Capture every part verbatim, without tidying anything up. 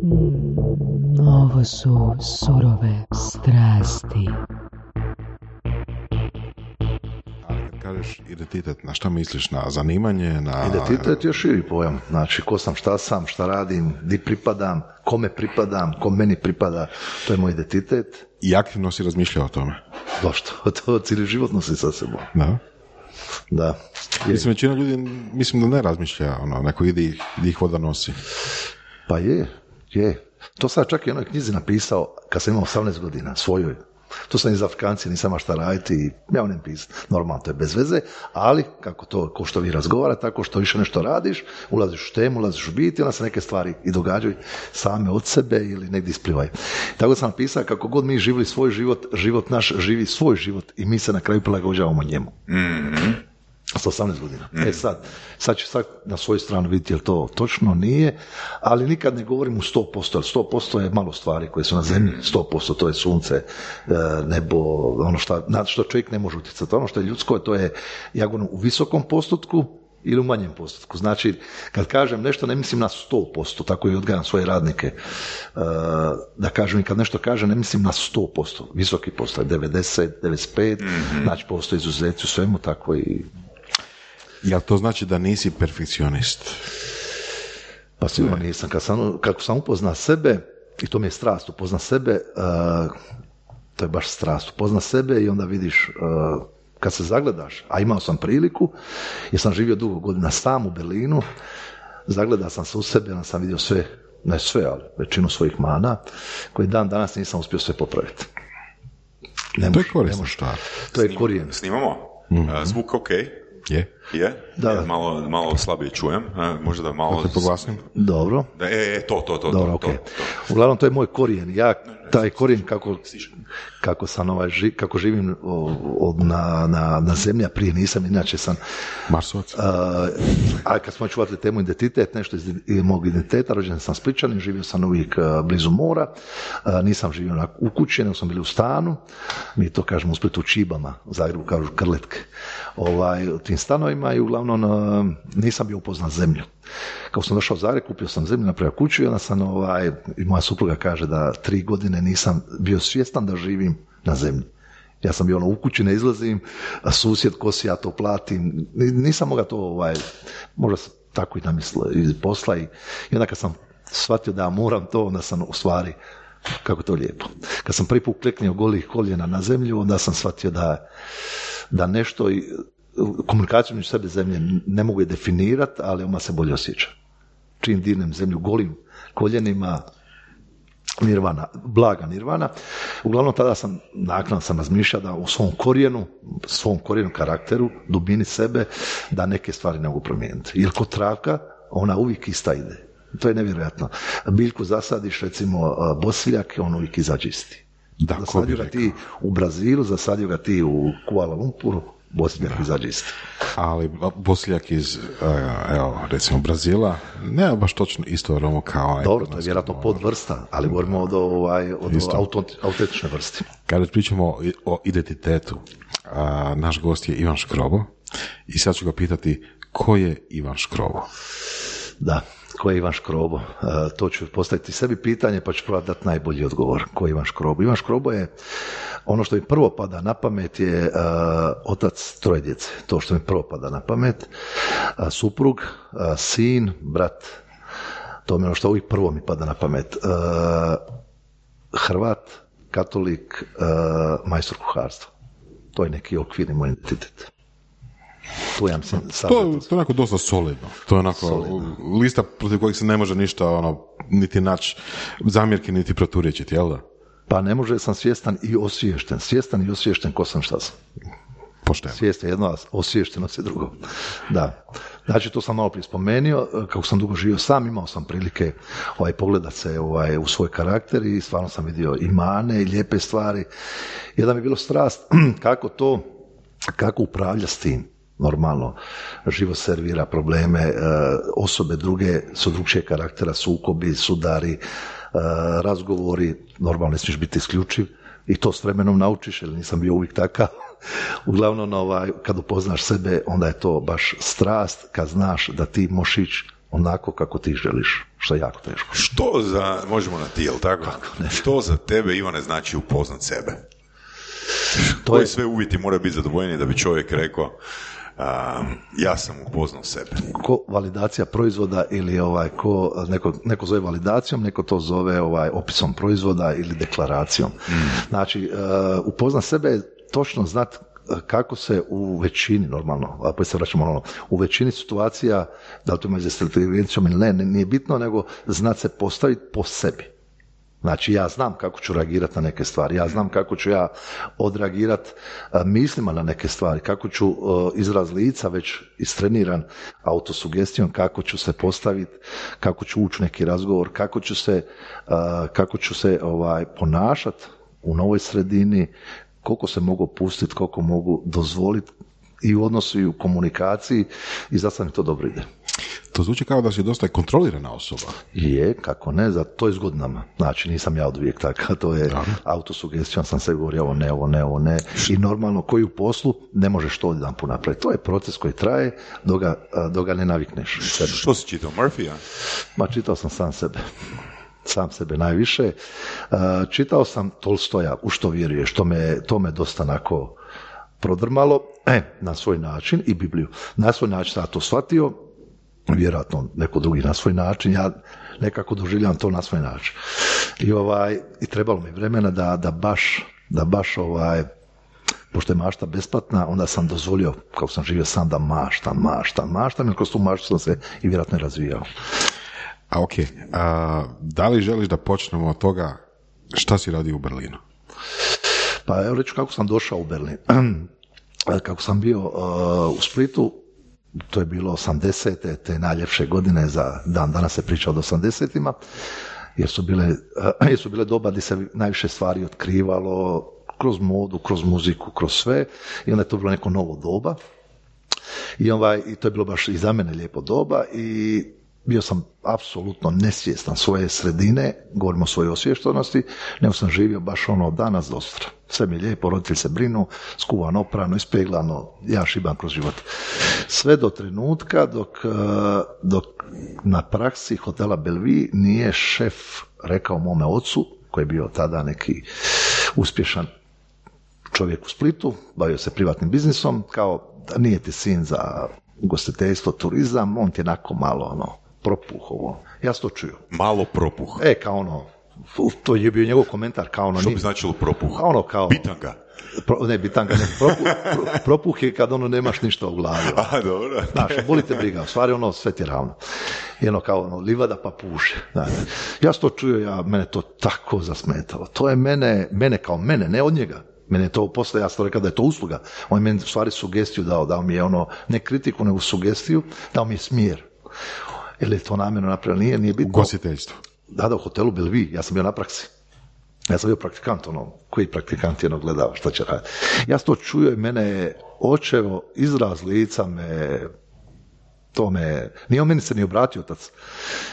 Mm, ovo su surove strasti. Kažeš identitet, na šta misliš? Na zanimanje? Na... Identitet je širi pojam. Znači, ko sam, šta sam, šta radim, di pripadam, kome pripadam, ko meni pripada, to je moj identitet. I aktivno si razmišljao o tome? Došto, to cijeli život nosi sa sebom. Da. Da. Je. Mislim, većina ljudi, mislim da ne razmišlja, ono, neko ide ih, ih voda nosi. Pa je, je. To sam čak i u onoj knjizi napisao kad sam imao osamnaest godina, svojoj. To sam iz Afrikanci, nisam šta raditi i ja ne pisam. Normalno, to je bez veze, ali kako to, ko što vi razgovarate, tako što više nešto radiš, ulaziš u temu, ulaziš u biti, onda se neke stvari i događaju same od sebe ili negdje isplivaju. Tako sam napisao, kako god mi živili svoj život, život naš živi svoj život i mi se na kraju prilagođavamo njemu. Mm-hmm. Sa osamnaest godina. Mm. E sad, sad ću sad na svoju stranu vidjeti je li to točno, nije, ali nikad ne govorim u sto posto, jer sto posto je malo stvari koje su na zemlji, sto posto to je sunce, nebo, ono što, na što čovjek ne može utjecati. Ono što je ljudsko, to je, ja govorim, u visokom postotku ili u manjem postotku. Znači, kad kažem nešto, ne mislim na sto posto, tako i odgajam svoje radnike, da kažem, i kad nešto kažem, ne mislim na sto posto, visoki postoje, devedeset, devedeset pet, mm-hmm. Znači, postoje izuzeci u svemu, tako i... Jel to znači da nisi perfekcionist? Pa sigurno nisam. Kad sam, kako sam upoznao sebe, i to mi je strast, upozna sebe, uh, to je baš strast, upozna sebe i onda vidiš, uh, kad se zagledaš, a imao sam priliku, jer sam živio dugo godina sam u Berlinu, zagledao sam se u sebe, onda sam vidio sve, ne sve, ali većinu svojih mana, koji dan danas nisam uspio sve popraviti. Ne to mož, je korisno stvar. To je Snim, korijen. Snimamo? Mm. Uh, zvuk ok? Je. Je? Da, ja, malo, malo slabije čujem, a, možda da malo... Da te poglasim? Dobro. Da, e, e, to, to, to. Dobro, to, okay. to, to. Uglavnom, to je moj korijen. Ja, taj korijen kako, kako, sam ovaj, ži, kako živim od, na, na, na zemlji, a prije nisam, inače sam... Marsovac. Uh, a kad smo čuvali temu identitet, nešto iz mog identiteta, rođen sam Spličanin, živio sam uvijek uh, blizu mora, uh, nisam živio na, u kući, nego sam bili u stanu, mi to kažemo u Splitu u Čibama, u Zagrebu kažu krletke, ovaj, u tim stanovima i uglavnom uh, nisam bio upoznat zemlju. Kako sam došao u Zagreb, kupio sam zemlju, napravio kuću i onda sam, ovaj, i moja supruga kaže da tri godine nisam bio svjestan da živim na zemlji. Ja sam bio ono, u kući ne izlazim, a susjed kosi, ja to platim, nisam mogao to, ovaj, možda sam tako i namislio iz posla i, i onda kad sam shvatio da moram to, onda sam u stvari, kako to lijepo. Kad sam prvi put kleknio golih koljena na zemlju, onda sam shvatio da, da nešto, komunikaciju među sebe zemlje ne mogu je definirati, ali ona se bolje osjeća. Čim dirnem zemlju golim koljenima, nirvana, blaga nirvana. Uglavnom tada sam, naknadno sam razmišljao da u svom korijenu, svom korijenu karakteru, dubini sebe, da neke stvari ne mogu promijeniti. Jer kod travka, ona uvijek ista ide. To je nevjerojatno. Biljku zasadiš, recimo bosiljak, on uvijek izađe isti. Da, zasadio ga ti u Brazilu, zasadio ga ti u Kuala Lumpuru, bosiljak izađe isti. Ali bosiljak iz, evo, recimo Brazila, ne baš točno isto aromu kao... Dobro, to je vjerojatno podvrsta, ali govorimo od, ovaj, od autentične vrste. Kada pričamo o identitetu, a, naš gost je Ivan Škrobo i sad ću ga pitati ko je Ivan Škrobo? Da, ko je Ivan Škrobo? Uh, to ću postaviti sebi pitanje pa ću probati dati najbolji odgovor. Ko je Ivan Škrobo? Ivan Škrobo je, ono što mi prvo pada na pamet je uh, otac troje djece. To što mi prvo pada na pamet. Uh, suprug, uh, sin, brat. To mi je ono što uvijek prvo mi pada na pamet. Uh, Hrvat, katolik, uh, majstor kuharstva. To je neki okvirni moj identitet. To, ja mislim, to, to je onako dosta solidno. To je onako solidno. Lista protiv kojeg se ne može ništa ono, niti naći zamjerke, niti proturječiti, jel da? Pa ne može, sam svjestan i osviješten. Svjestan i osviješten ko sam šta sam. Pošteno. Svijest je jedno, a osviještenost je drugo. Da. Znači, to sam malo prije spomenuo, kako sam dugo živio sam, imao sam prilike ovaj, pogledat se ovaj, u svoj karakter i stvarno sam vidio i mane i lijepe stvari. Jedan mi je bilo strast kako to, kako upravlja s tim. Normalno, život servira probleme, osobe druge su drugčije karaktera, sukobi, sudari, razgovori, normalno ne smiješ biti isključiv i to s vremenom naučiš, jer nisam bio uvijek takav. Uglavnom, ovaj, kad upoznaš sebe, onda je to baš strast, kad znaš da ti možeš ići onako kako ti želiš, što je jako teško. Što za, možemo na ti, jel tako? Što za tebe, Ivane, znači upoznat sebe? To Koji je, sve uvjeti moraju biti zadovoljeni da bi čovjek rekao um, ja sam upoznao sebe? ko validacija proizvoda ili ovaj, ko, neko, neko zove validacijom, neko to zove ovaj, opisom proizvoda ili deklaracijom. Mm. Znači, uh, upoznat sebe je točno znat kako se u većini, normalno, a pa se vraćamo ono, u većini situacija, da li to ima za inteligencijom ili ne, nije bitno, nego znat se postaviti po sebi. Znači, ja znam kako ću reagirati na neke stvari, ja znam kako ću ja odreagirati mislima na neke stvari, kako ću uh, izraz lica već istreniran autosugestijom, kako ću se postaviti, kako ću ući u neki razgovor, kako ću se, uh, kako ću se ovaj, ponašati u novoj sredini, koliko se mogu pustiti, koliko mogu dozvoliti i u odnosu i u komunikaciji i zato mi to dobro ide. To zvuči kao da si dosta kontrolirana osoba. Je, kako ne, za to je s godinama. Znači, nisam ja od uvijek tako, to je da. Autosugestijom sam se govorio ovo ne, ovo ne, ovo ne. I normalno, koji u poslu ne možeš to odjedan put napraviti. To je proces koji traje dok ga, dok ga ne navikneš. Sebe. Što si čitao, Murphy-a? Ma, čitao sam sam sebe. Sam sebe najviše. Čitao sam Tolstoja, u što vjeruješ, to me, to me dosta onako prodrmalo, e, na svoj način, i Bibliju. Na svoj način sam to shvatio, vjerojatno neko drugi na svoj način, ja nekako doživljam to na svoj način. I, ovaj, i trebalo mi vremena da, da baš, da baš ovaj, pošto je mašta besplatna, onda sam dozvolio, kako sam živio sam, da maštam, maštam, maštam, jer kroz tu maštu sam se i vjerojatno i razvijao. A ok, a, da li želiš da počnemo od toga šta si radio u Berlinu? Pa evo reću kako sam došao u Berlin. Kako sam bio uh, u Splitu, to je bilo osamdesete, te najljepše godine, za dan danas se priča od osamdesetima, jer su bile, uh, jer su bile doba gdje se najviše stvari otkrivalo, kroz modu, kroz muziku, kroz sve, i onda je to bilo neko novo doba. I, ovaj, i to je bilo baš i za mene lijepo doba i bio sam apsolutno nesvjestan svoje sredine, govorimo o svojoj osviještenosti, nego sam živio baš ono od danas do sutra. Sve mi je lijepo, roditelji se brinu, skuvano, oprano, ispeglano, ja šibam kroz život. Sve do trenutka dok, dok na praksi hotela Bellevue nije šef rekao mome ocu, koji je bio tada neki uspješan čovjek u Splitu, bavio se privatnim biznisom, kao da nije ti sin za ugostiteljstvo, turizam, on ti je onako malo ono, propuh ovo. Ja sam to čuo. Malo propuh. E, kao ono, to je bio njegov komentar, kao ono... Što bi značilo propuh? Kao ono, kao... Bitanga. Pro, ne, bitanga, ne. Propuh, pro, propuh je kad ono nemaš ništa u glavi. A, dobro. Znaš, boli te briga, u stvari ono sve ti je ravno. I ono kao ono, livada pa puše. Znači, ja sam to čuo, ja, mene to tako zasmetalo. To je mene, mene kao mene, ne od njega. Mene je to posle, ja sam rekao da je to usluga. On je meni u stvari sugestiju dao, dao mi je ono, ne kritiku, nego sugestiju, dao mi je smjer. Ili je to namjerno napravljeno, nije, nije bitno. Ugostiteljstvo. Da, da, u hotelu Bellevue, ja sam bio na praksi. Ja sam bio praktikant, ono, koji praktikant jedno gledao, šta će raditi. Ja sam to čuo i mene je očevo, izraz lica me, to me, nije on meni se ni obratio otac.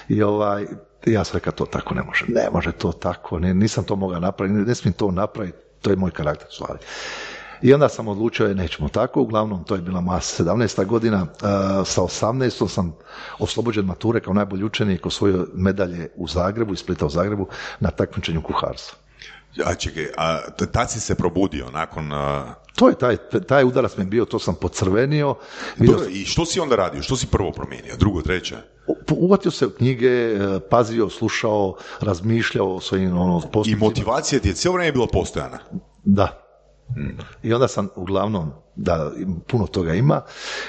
I ovaj, ja sam rekao, to tako ne može, ne može to tako, ne, nisam to mogao napraviti, ne smijem to napraviti, to je moj karakter u stvari. I onda sam odlučio, je, nećemo tako, uglavnom to je bila moja sedamnaesta godina, uh, sa osamnaestom sam oslobođen mature kao najbolji učenik, osvojio medalje u Zagrebu, iz Splita u Zagrebu, na takmičenju kuharstva. A čekaj, a tad si se probudio nakon... Uh... To je taj, taj udarac mi je bio, to sam pocrvenio. Dobro, i što si onda radio? Što si prvo promijenio? Drugo, treće? Uvatio se u knjige, pazio, slušao, razmišljao o svojim ono, postupcima. I motivacija ti je cijelo vrijeme bila postojana? Da. Hmm. I onda sam uglavnom, da puno toga ima,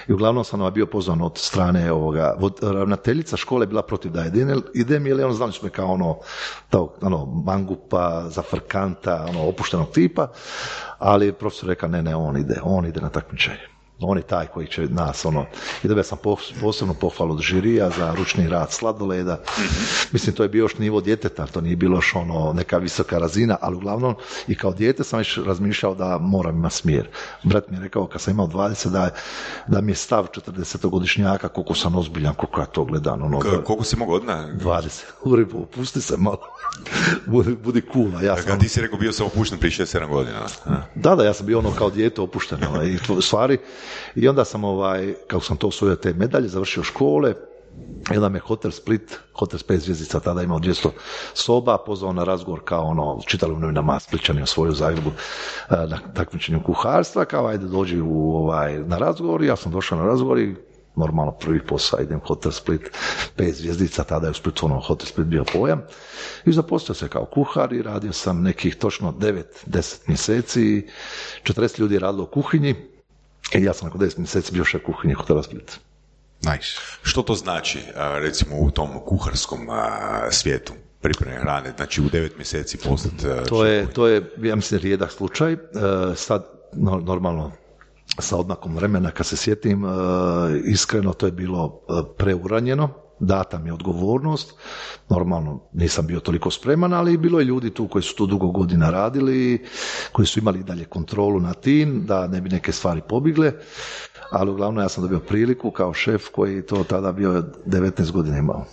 i uglavnom sam bio pozvan od strane ovoga, ravnateljica škole bila protiv da idem, jer ono znali smo me kao ono, tog, ono mangupa, zafrkanta, ono opuštenog tipa, ali profesor rekao ne, ne, on ide, on ide na takmičenje. On je taj koji će nas, ono, i dobio sam posebnu pohvalu od žirija za ručni rad sladoleda. Mm-hmm. Mislim, to je bio još nivo djeteta, to nije bilo još ono, neka visoka razina, ali uglavnom i kao dijete sam već razmišljao da moram imati smjer. Brat mi je rekao, kad sam imao dvadeset, da, da mi je stav četrdesetogodišnjaka, koliko sam ozbiljan, koliko ja to gledam. Ono, K- koliko si mogao odna? dvadeset. Uri, pusti se malo. budi, budi cool. Ja sam... Kad ti si rekao, bio sam opušten prije šest sedam godina. A? Da, da, ja sam bio ono kao dijete opušten. Ono, i stvari. I onda sam, ovaj, kako sam to osvojio te medalje, završio škole, I onda me Hotel Split, Hotel s pet zvjezdica, tada imao dvjesto soba, pozvao na razgovor kao ono, čitali u novinama Splićani osvojio u Zagrebu na takmičenju kuharstva, kao ajde dođi u, ovaj, na razgovor, ja sam došao na razgovor i normalno prvi posao, idem Hotel Split, pet zvjezdica, tada je u Splitu ono Hotel Split bio pojam i zaposlio se kao kuhar i radio sam nekih točno devet deset mjeseci, četrdeset ljudi je radilo u kuhinji i ja sam nakon deset mjeseci bio šef kuhinje Hotela Split. Nice. Što to znači, recimo, u tom kuharskom svijetu pripreme hrane, znači u devet mjeseci postati? To je, to je, ja mislim, rijedak slučaj. Sad, normalno, sa odmakom vremena, kad se sjetim, iskreno, to je bilo preuranjeno, data mi je odgovornost, normalno nisam bio toliko spreman, ali bilo je ljudi tu koji su tu dugo godina radili, koji su imali dalje kontrolu nad tim, da ne bi neke stvari pobigle, ali uglavnom ja sam dobio priliku kao šef koji to tada bio devetnaest godina imao.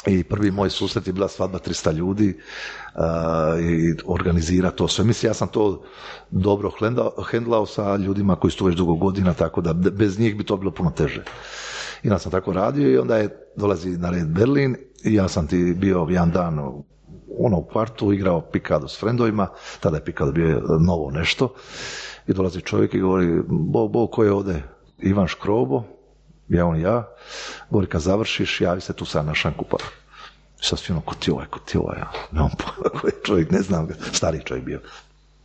I prvi moj susret je bila svadba tristo ljudi uh, i organizira to sve. Mislim, ja sam to dobro hendlao sa ljudima koji su tu već dugo godina, tako da bez njih bi to bilo puno teže. I ja sam tako radio i onda je dolazi na red Berlin i ja sam ti bio jedan dan ono u kvartu, igrao pikado s frendovima, tada je pikado bio novo nešto i dolazi čovjek i govori, bo, bo, ko je ovdje? Ivan Škrobo, ja on ja, govori kad završiš, javi se tu sad na šankupar. Sad svi ono, ko ti ovaj, ko ti ovaj, ja, nemam pojma koji čovjek, ne znam, stariji čovjek bio.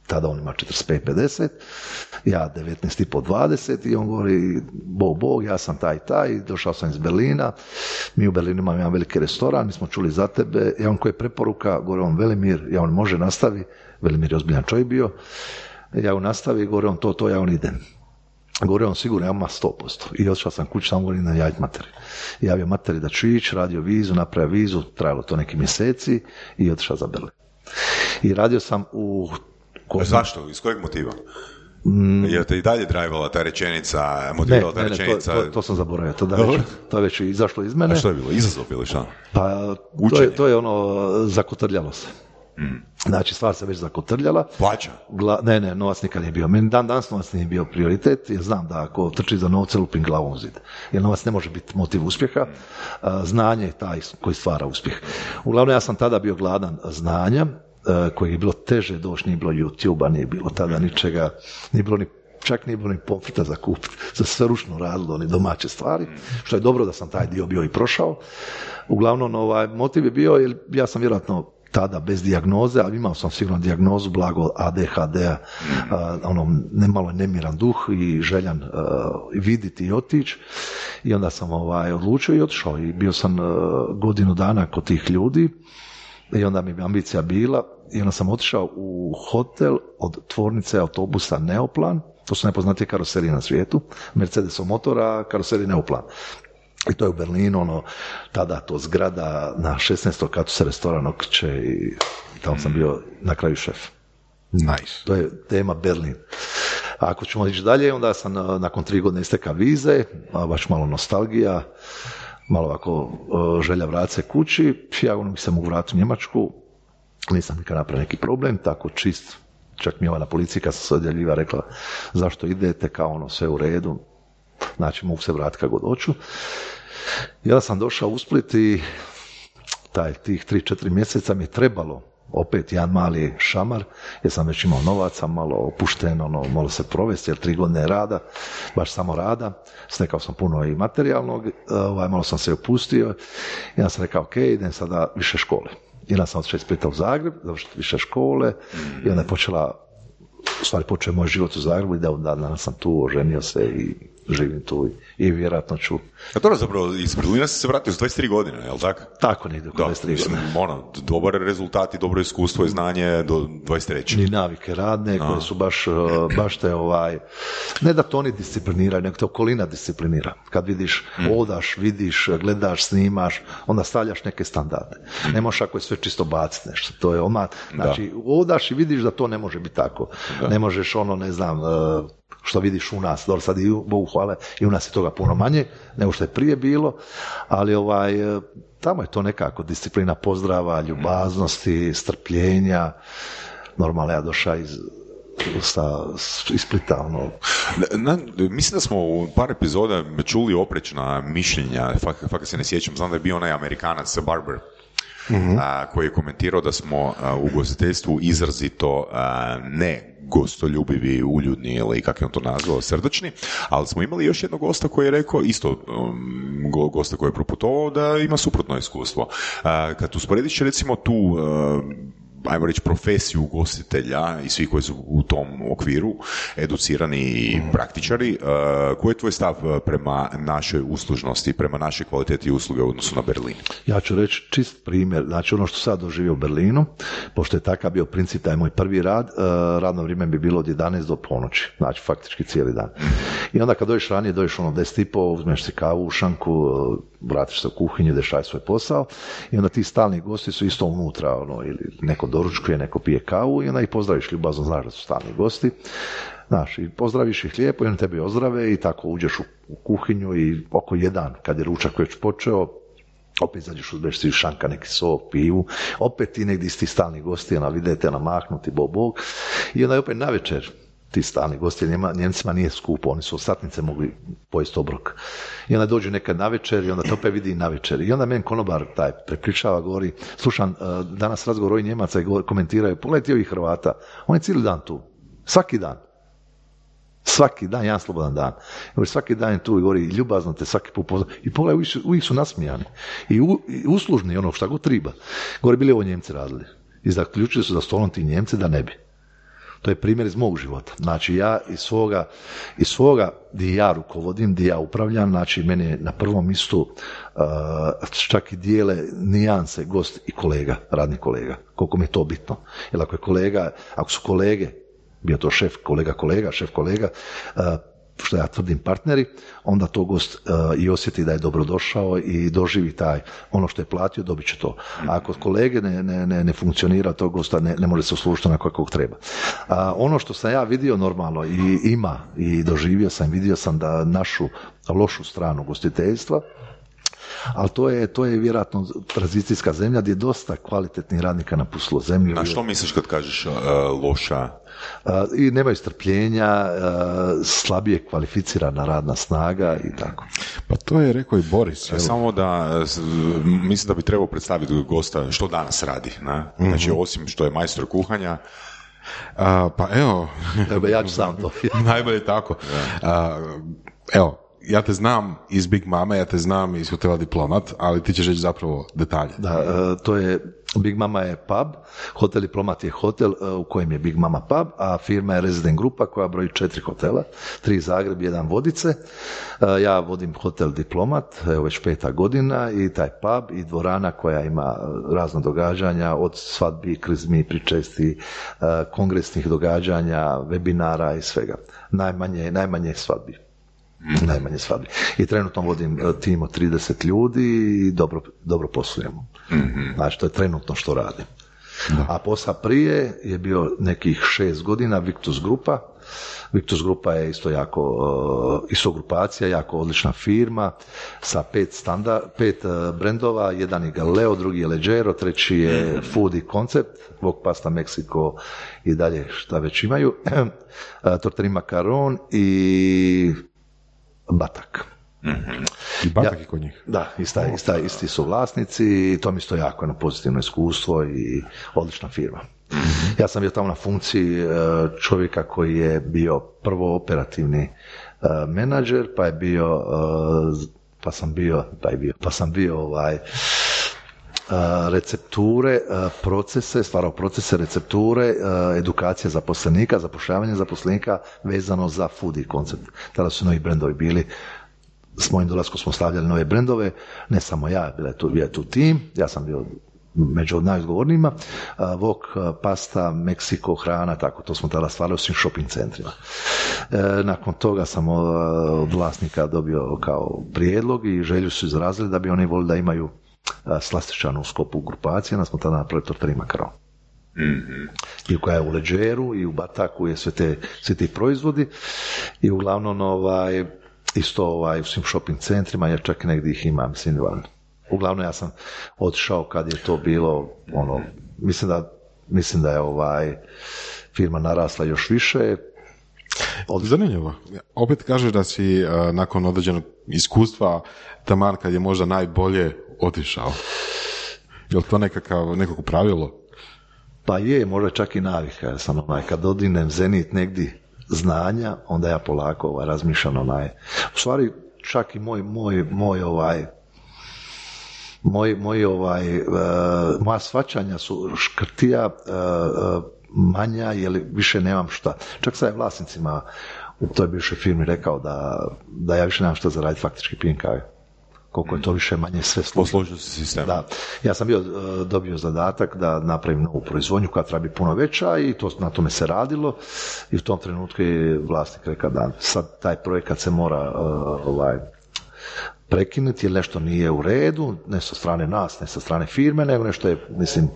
Tada on ima četrdeset pet pedeset, ja devetnaest i po dvadeset i on govori, bog, bog, ja sam taj, taj, došao sam iz Berlina, mi u Berlinu imamo jedan veliki restoran, mi smo čuli za tebe, ja on koji je preporuka, govori on Velimir, ja on može nastavi, Velimir je ozbiljan čovjek bio, ja on nastavi, govori on to, to, ja on idem. Govori on sigurno, ja ima sto posto. I otišao sam kući, samo govorim na javiti materi. Javio materi da ću ići, radio vizu, napravio vizu, trajalo to neki mjeseci i otišao za Berlin. I radio sam u... Ko... Zašto? Iz kojeg motiva? Mm. Je te i dalje drajvala ta rečenica, motivirala ta ne, rečenica? Ne, to, to, to sam zaboravio, to, da već, to je već izašlo iz mene. A što je bilo? Izazov ili šta? Pa to je, to je ono, zakotrljalo se. Mm. Znači, stvar se već zakotrljala. Plaća? Gla, ne, ne, novac nikad nije bio. Meni dan danas novac nije bio prioritet, jer znam da ako trči za novce, lupim glavom u zid. Jer novac ne može biti motiv uspjeha. Znanje je taj koji stvara uspjeh. Uglavnom, ja sam tada bio gladan znanja, koji je bilo teže doći, nije bilo YouTube-a, nije bilo tada ničega, nije bilo ni, čak nije bilo ni pomfrita za kupiti, za sve ručno radilo, ni domaće stvari, što je dobro da sam taj dio bio i prošao. Uglavnom, ovaj, motiv je bio, jer ja sam vjerojatno tada bez dijagnoze, ali imao sam sigurno dijagnozu blago A D H D-a, a, ono, nemalo nemiran duh i željan a, vidjeti i otići. I onda sam ovaj, odlučio i otišao i bio sam a, godinu dana kod tih ljudi i onda mi je ambicija bila i onda sam otišao u hotel od tvornice autobusa Neoplan, to su najpoznatije karoserije na svijetu, Mercedesov motor, a karoserije Neoplan. I to je u Berlinu, ono, tada to zgrada na šesnaestom katu se restoran okreće i tamo sam bio na kraju šef. Nice. To je tema Berlin. A ako ćemo ići dalje, onda sam nakon tri godine isteka vize, baš malo nostalgija, malo ovako želja vratiti se kući, ja ono mi se mogu vratiti u Njemačku, nisam nikad napravio neki problem, tako čist, čak mi je ova na policiji kad sam se odjeljiva rekla zašto idete, kao ono sve u redu, znači mogu se vratiti kad god hoću. I onda sam došao u Split i taj, tih tri četiri mjeseca mi je trebalo opet jedan mali šamar, jer sam već imao novaca, malo opušteno, ono, malo se provesti, jer tri godine rada, baš samo rada, stekao sam puno i materijalnog, ovaj, malo sam se opustio i onda sam rekao, ok, idem sada više škole. I onda sam otišao iz Splita u Zagreb, završiti više škole i onda je počela, u stvari počeo moj život u Zagrebu i da od danas sam tu, oženio se i živim tu i, i vjerojatno ću. A to je zapravo, iz Berlina si se vratio s dvadeset tri godine, je li tako? Tako, negdje oko dvadeset tri godine. Ono, dobar rezultat i dobro iskustvo i znanje do dvadeset treće. Ni navike radne, koje su baš, baš te ovaj, ne da to oni discipliniraju, nego te okolina disciplinira. Kad vidiš, mm. odaš, vidiš, gledaš, snimaš, onda stavljaš neke standarde. Mm. Ne možeš ako je sve čisto baciti nešto. To je oma, znači, da. Odaš i vidiš da to ne može biti tako. Da. Ne možeš ono, ne znam, što vidiš u nas, dobro sad i Bogu hvale, i u nas je toga puno manje nego što je prije bilo, ali ovaj, tamo je to nekako disciplina pozdrava, ljubaznosti, strpljenja. Normalno ja došao iz sa, iz Splita, ono. Na, mislim da smo u par epizoda čuli oprečna mišljenja, fakat, fakat se ne sjećam, znam da je bio onaj Amerikanac Barber, mm-hmm. a, koji je komentirao da smo a, u ugostiteljstvu izrazito a, ne gostoljubivi, uljudni ili kako je on to nazvao, srdačni, ali smo imali još jednog gosta koji je rekao, isto um, gosta koji je proputovao, da ima suprotno iskustvo. Uh, kad usporediš recimo tu uh, ajmo reći profesiju ugostitelja i svi koji su u tom okviru educirani i praktičari, uh, koji je tvoj stav prema našoj uslužnosti, prema našoj kvaliteti usluge u odnosu na Berlin? Ja ću reći čist primjer, znači ono što sad doživio u Berlinu, pošto je takav bio princip, taj moj prvi rad, uh, radno vrijeme bi bilo od jedanaest do ponoći, znači faktički cijeli dan. I onda kad dođeš ranije, dođeš ono deset i po, uzmeš si kavu u šanku, uh, vratiš se u kuhinju, ideš raditi svoj posao i onda ti stalni gosti su isto unutra, ono, ili neko doručkuje, neko pije kavu i onda ih pozdraviš ljubazno, znaš da su stalni gosti. Znaš, i pozdraviš ih lijepo i oni tebi ozdrave i tako uđeš u, u kuhinju i oko jedan, kad je ručak već počeo, opet izađeš, uzmeš si šanka, neki sok, pivu, opet ti negdje iz tih stalnih gosti, ona vidite, namaknuti, bog, bog, i onda je opet navečer ti stalni gosti, Njema, Njemcima nije skupo, oni su od satnice mogli pojesti obrok. I onda dođe nekad navečer i onda te opet vidi i navečer. I onda meni konobar taj prekričava, govori, slušam, danas razgovor ovih Njemaca i govori, komentiraju, pogledajte ovih Hrvata, on je cijeli dan tu, svaki dan. Svaki dan, jedan slobodan dan. Govori, svaki dan je tu i govori, ljubazno te svaki put pozdravljaju. I pogledaj, uvijek su, uvijek su nasmijani. I, u, i uslužni, ono šta god treba. Govori, bili ovo Njemci radili. I zaključili su za stolom ti Njemci da ne bi. To je primjer iz mog života. Znači ja iz svoga, iz svoga gdje ja rukovodim, gdje ja upravljam, znači mene je na prvom mjestu uh, čak i dijele nijanse gost i kolega, radni kolega. Koliko mi je to bitno. Jer ako je kolega, ako su kolege, bio to šef, kolega, kolega, šef, kolega, uh, što ja tvrdim partneri, onda to gost uh, i osjeti da je dobrodošao i doživi taj, ono što je platio, dobit će to. A ako kolege ne, ne, ne, ne funkcionira, to gosta ne, ne može se uslužiti onako kako treba. A ono što sam ja vidio normalno i ima i doživio sam, vidio sam da našu lošu stranu gostiteljstva, ali to je, to je vjerojatno tranzicijska zemlja gdje je dosta kvalitetnih radnika napustilo zemlju. Na što misliš kad kažeš uh, loša? Uh, I nemaju strpljenja, uh, slabije kvalificirana radna snaga i tako. Pa to je rekao i Boris. Evo. Samo da, mislim da bi trebao predstaviti gosta što danas radi. Ne? Mm-hmm. Znači, osim što je majstor kuhanja, Uh, pa evo... Evo, ja ću sam to. Najbolje tako. Uh, evo, ja te znam iz Big Mama, ja te znam iz hotela Diplomat, ali ti ćeš reći zapravo detalje. Da, uh, to je, Big Mama je pub, hotel Diplomat je hotel uh, u kojem je Big Mama pub, a firma je Resident Grupa koja broji četiri hotela, tri Zagreb, jedan Vodice. Uh, ja vodim hotel Diplomat, evo već peta godina, i taj pub i dvorana koja ima razna događanja, od svadbi, krizmi, pričesti, uh, kongresnih događanja, webinara i svega. Najmanje, najmanje svadbi. Mm-hmm. Najmanje svadbi. I trenutno vodim tim od trideset ljudi i dobro, dobro poslujemo. Mm-hmm. Znači, to je trenutno što radim. Da. A posla prije je bio nekih šest godina Victus Grupa. Victus Grupa je isto jako, uh, isto grupacija, jako odlična firma sa pet, standard, pet uh, brendova, jedan je Galileo, drugi je Leggero, treći je mm-hmm. Food i Concept, Wok Pasta Mexico i dalje šta već imaju, uh, Tortellini Macaron i Batak. Mm-hmm. I Batak ja, je kod njih. Da, ista, ista, isti su vlasnici i to mi isto jako jedno pozitivno iskustvo i odlična firma. Mm-hmm. Ja sam bio tamo na funkciji čovjeka koji je bio prvo operativni menadžer, pa je bio, pa sam bio, pa je bio, pa sam bio ovaj, recepture, procese, stvarao procese, recepture, edukacija zaposlenika, zapošljavanje zaposlenika vezano za food i koncept. Tada su novi brendovi bili, s mojim dolaskom smo stavljali nove brendove, ne samo ja, bila je tu, bio je tu tim, ja sam bio među najodgovornijima, Wok, pasta, Mexico, hrana, tako, to smo tada stvarali u svim shopping centrima. Nakon toga sam od vlasnika dobio kao prijedlog i želju su izrazili da bi oni volili da imaju slastičanu u skopu grupacije, onda smo tada napravili Tortellini Macaron. Mm-hmm. I koja je u Leggeru i u Bataku je sve te, sve ti proizvodi i uglavnom ovaj, isto ovaj, u svim shopping centrima, jer čak negdje ih ima, mislim, van. Uglavnom ja sam otišao kad je to bilo, ono, mislim da mislim da je ovaj firma narasla još više. Od... Zanimljivo. Opet kažeš da si uh, nakon određenog iskustva taman kad je možda najbolje otišao. Je li to nekakav, nekako pravilo? Pa je, možda čak i navika. Ja sam onaj, kad odinem zenit negdje znanja, onda ja polako ovaj, razmišljam onaj. U stvari, čak i moj, moj, moj ovaj, moj, moj ovaj, uh, moja shvaćanja su škrtija, uh, uh, manja, jer više nemam šta. Čak sad je vlasnicima u toj bivšoj firmi rekao da, da ja više nemam šta zaraditi, faktički pijem kave. Koliko je to više manje sve složeno. Sistem. Da. Ja sam bio dobio zadatak da napravim novu proizvodnju koja treba biti puno veća i to, na tome se radilo i u tom trenutku je vlasnik rekao da sad taj projekat se mora uh, ovaj, prekinuti jer nešto nije u redu, ne sa strane nas, ne sa strane firme, nego nešto je, mislim,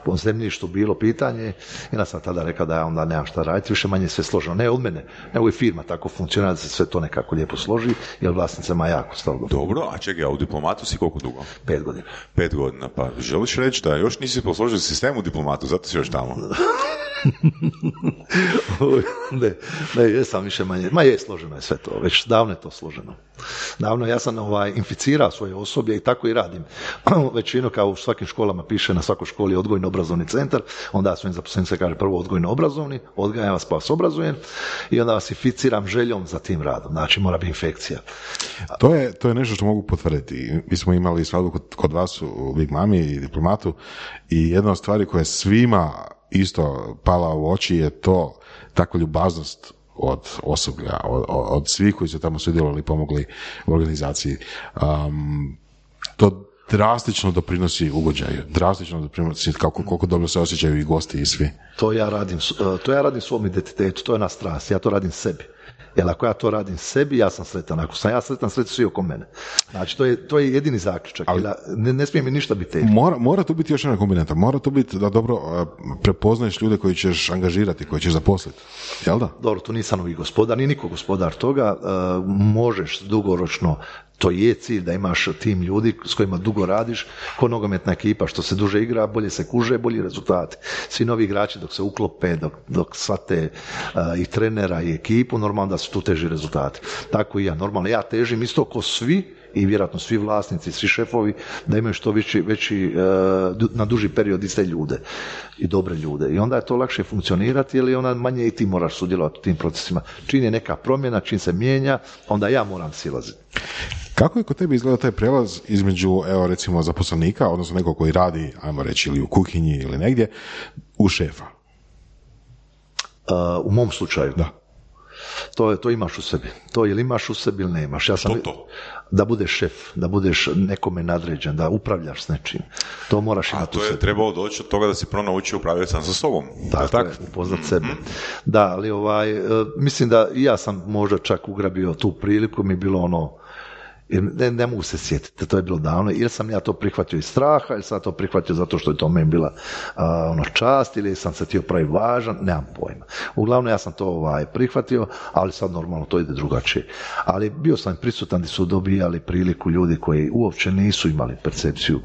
po zemljištu bilo pitanje i ja sam tada rekao da ja onda nemam šta raditi, više manje sve složeno, ne od mene, nego i firma tako funkcionira da se sve to nekako lijepo složi, jer vlasnicama jako stalo. Dobro, a čekaj, a u diplomatu si koliko dugo? Pet godina. Pet godina, pa želiš reći da još nisi posložio sistem u diplomatu, zato si još tamo? ne, ne, jesam više manje, ma je složeno je sve to, već davno je to složeno. Davno ja sam ovaj, inficirao svoje osoblje i tako i radim. Većinu kao u svakim školama piše na svakoj školi odgojno-obrazovni centar, onda svojim zaposlenicima kaže prvo odgojno-obrazovni, odgajam vas pa vas obrazujem i onda vas inficiram željom za tim radom, znači mora biti infekcija. To je, to je nešto što mogu potvrditi. Mi smo imali svadbu kod, kod vas u Big Mami i diplomatu i jedna od stvari koja je svima isto pala u oči je to takva ljubaznost od osoblja, od, od svih koji su tamo sudjelovali i pomogli u organizaciji. Um, to drastično doprinosi ugođaju, drastično doprinosi kako, koliko dobro se osjećaju i gosti i svi. To ja radim, to ja radim svom identitetu, to je na strast, ja to radim sebi. Jer ako ja to radim sebi, ja sam sretan. Ako sam ja sretan, sretan svi oko mene. Znači, to je, to je jedini zaključak. Ali, ne, ne smije mi ništa biti teško. Mora, mora tu biti još jedna kombinata. Mora tu biti da dobro uh, prepoznaješ ljude koji ćeš angažirati, koji ćeš zaposliti. Jel da? Dobro, tu nisam novi gospodar, ni niko gospodar toga. Uh, možeš dugoročno, to je cilj da imaš tim ljudi s kojima dugo radiš, ko nogometna ekipa, što se duže igra, bolje se kuže, bolji rezultati. Svi novi igrači dok se uklope, dok, dok shvate uh, i trenera i ekipu, normalno da su tu teži rezultati. Tako i ja, normalno ja težim isto ko svi i vjerojatno svi vlasnici, svi šefovi, da imaju što veći, veći uh, na duži period iste ljude i dobre ljude. I onda je to lakše funkcionirati, jer onda manje i ti moraš sudjelovati u tim procesima. Čim je neka promjena, čim se mijenja, onda ja moram silaziti. Kako je kod tebi izgleda taj prelaz između, evo recimo, zaposlenika, odnosno nekog koji radi, ajmo reći, ili u kuhinji ili negdje, u šefa? Uh, u mom slučaju? Da. To, to imaš u sebi. To ili imaš u sebi ili nemaš. Ja sam, što to? Da budeš šef, da budeš nekome nadređen, da upravljaš s nečim. To moraš imati u sebi. A to je trebalo doći od toga da si prvo naučio upravljati sam sa sobom. Tako, tak? je, upoznat sebe. Da, ali ovaj, mislim da i ja sam možda čak ugrabio tu priliku, mi je bilo ono, ne, ne mogu se sjetiti, to je bilo davno, ili sam ja to prihvatio iz straha, ili sam to prihvatio zato što je to meni bila a, ono čast, ili sam se htio pravi važan, nemam pojma. Uglavnom ja sam to ovaj, prihvatio, ali sad normalno to ide drugačije. Ali bio sam prisutan gdje su dobijali priliku ljudi koji uopće nisu imali percepciju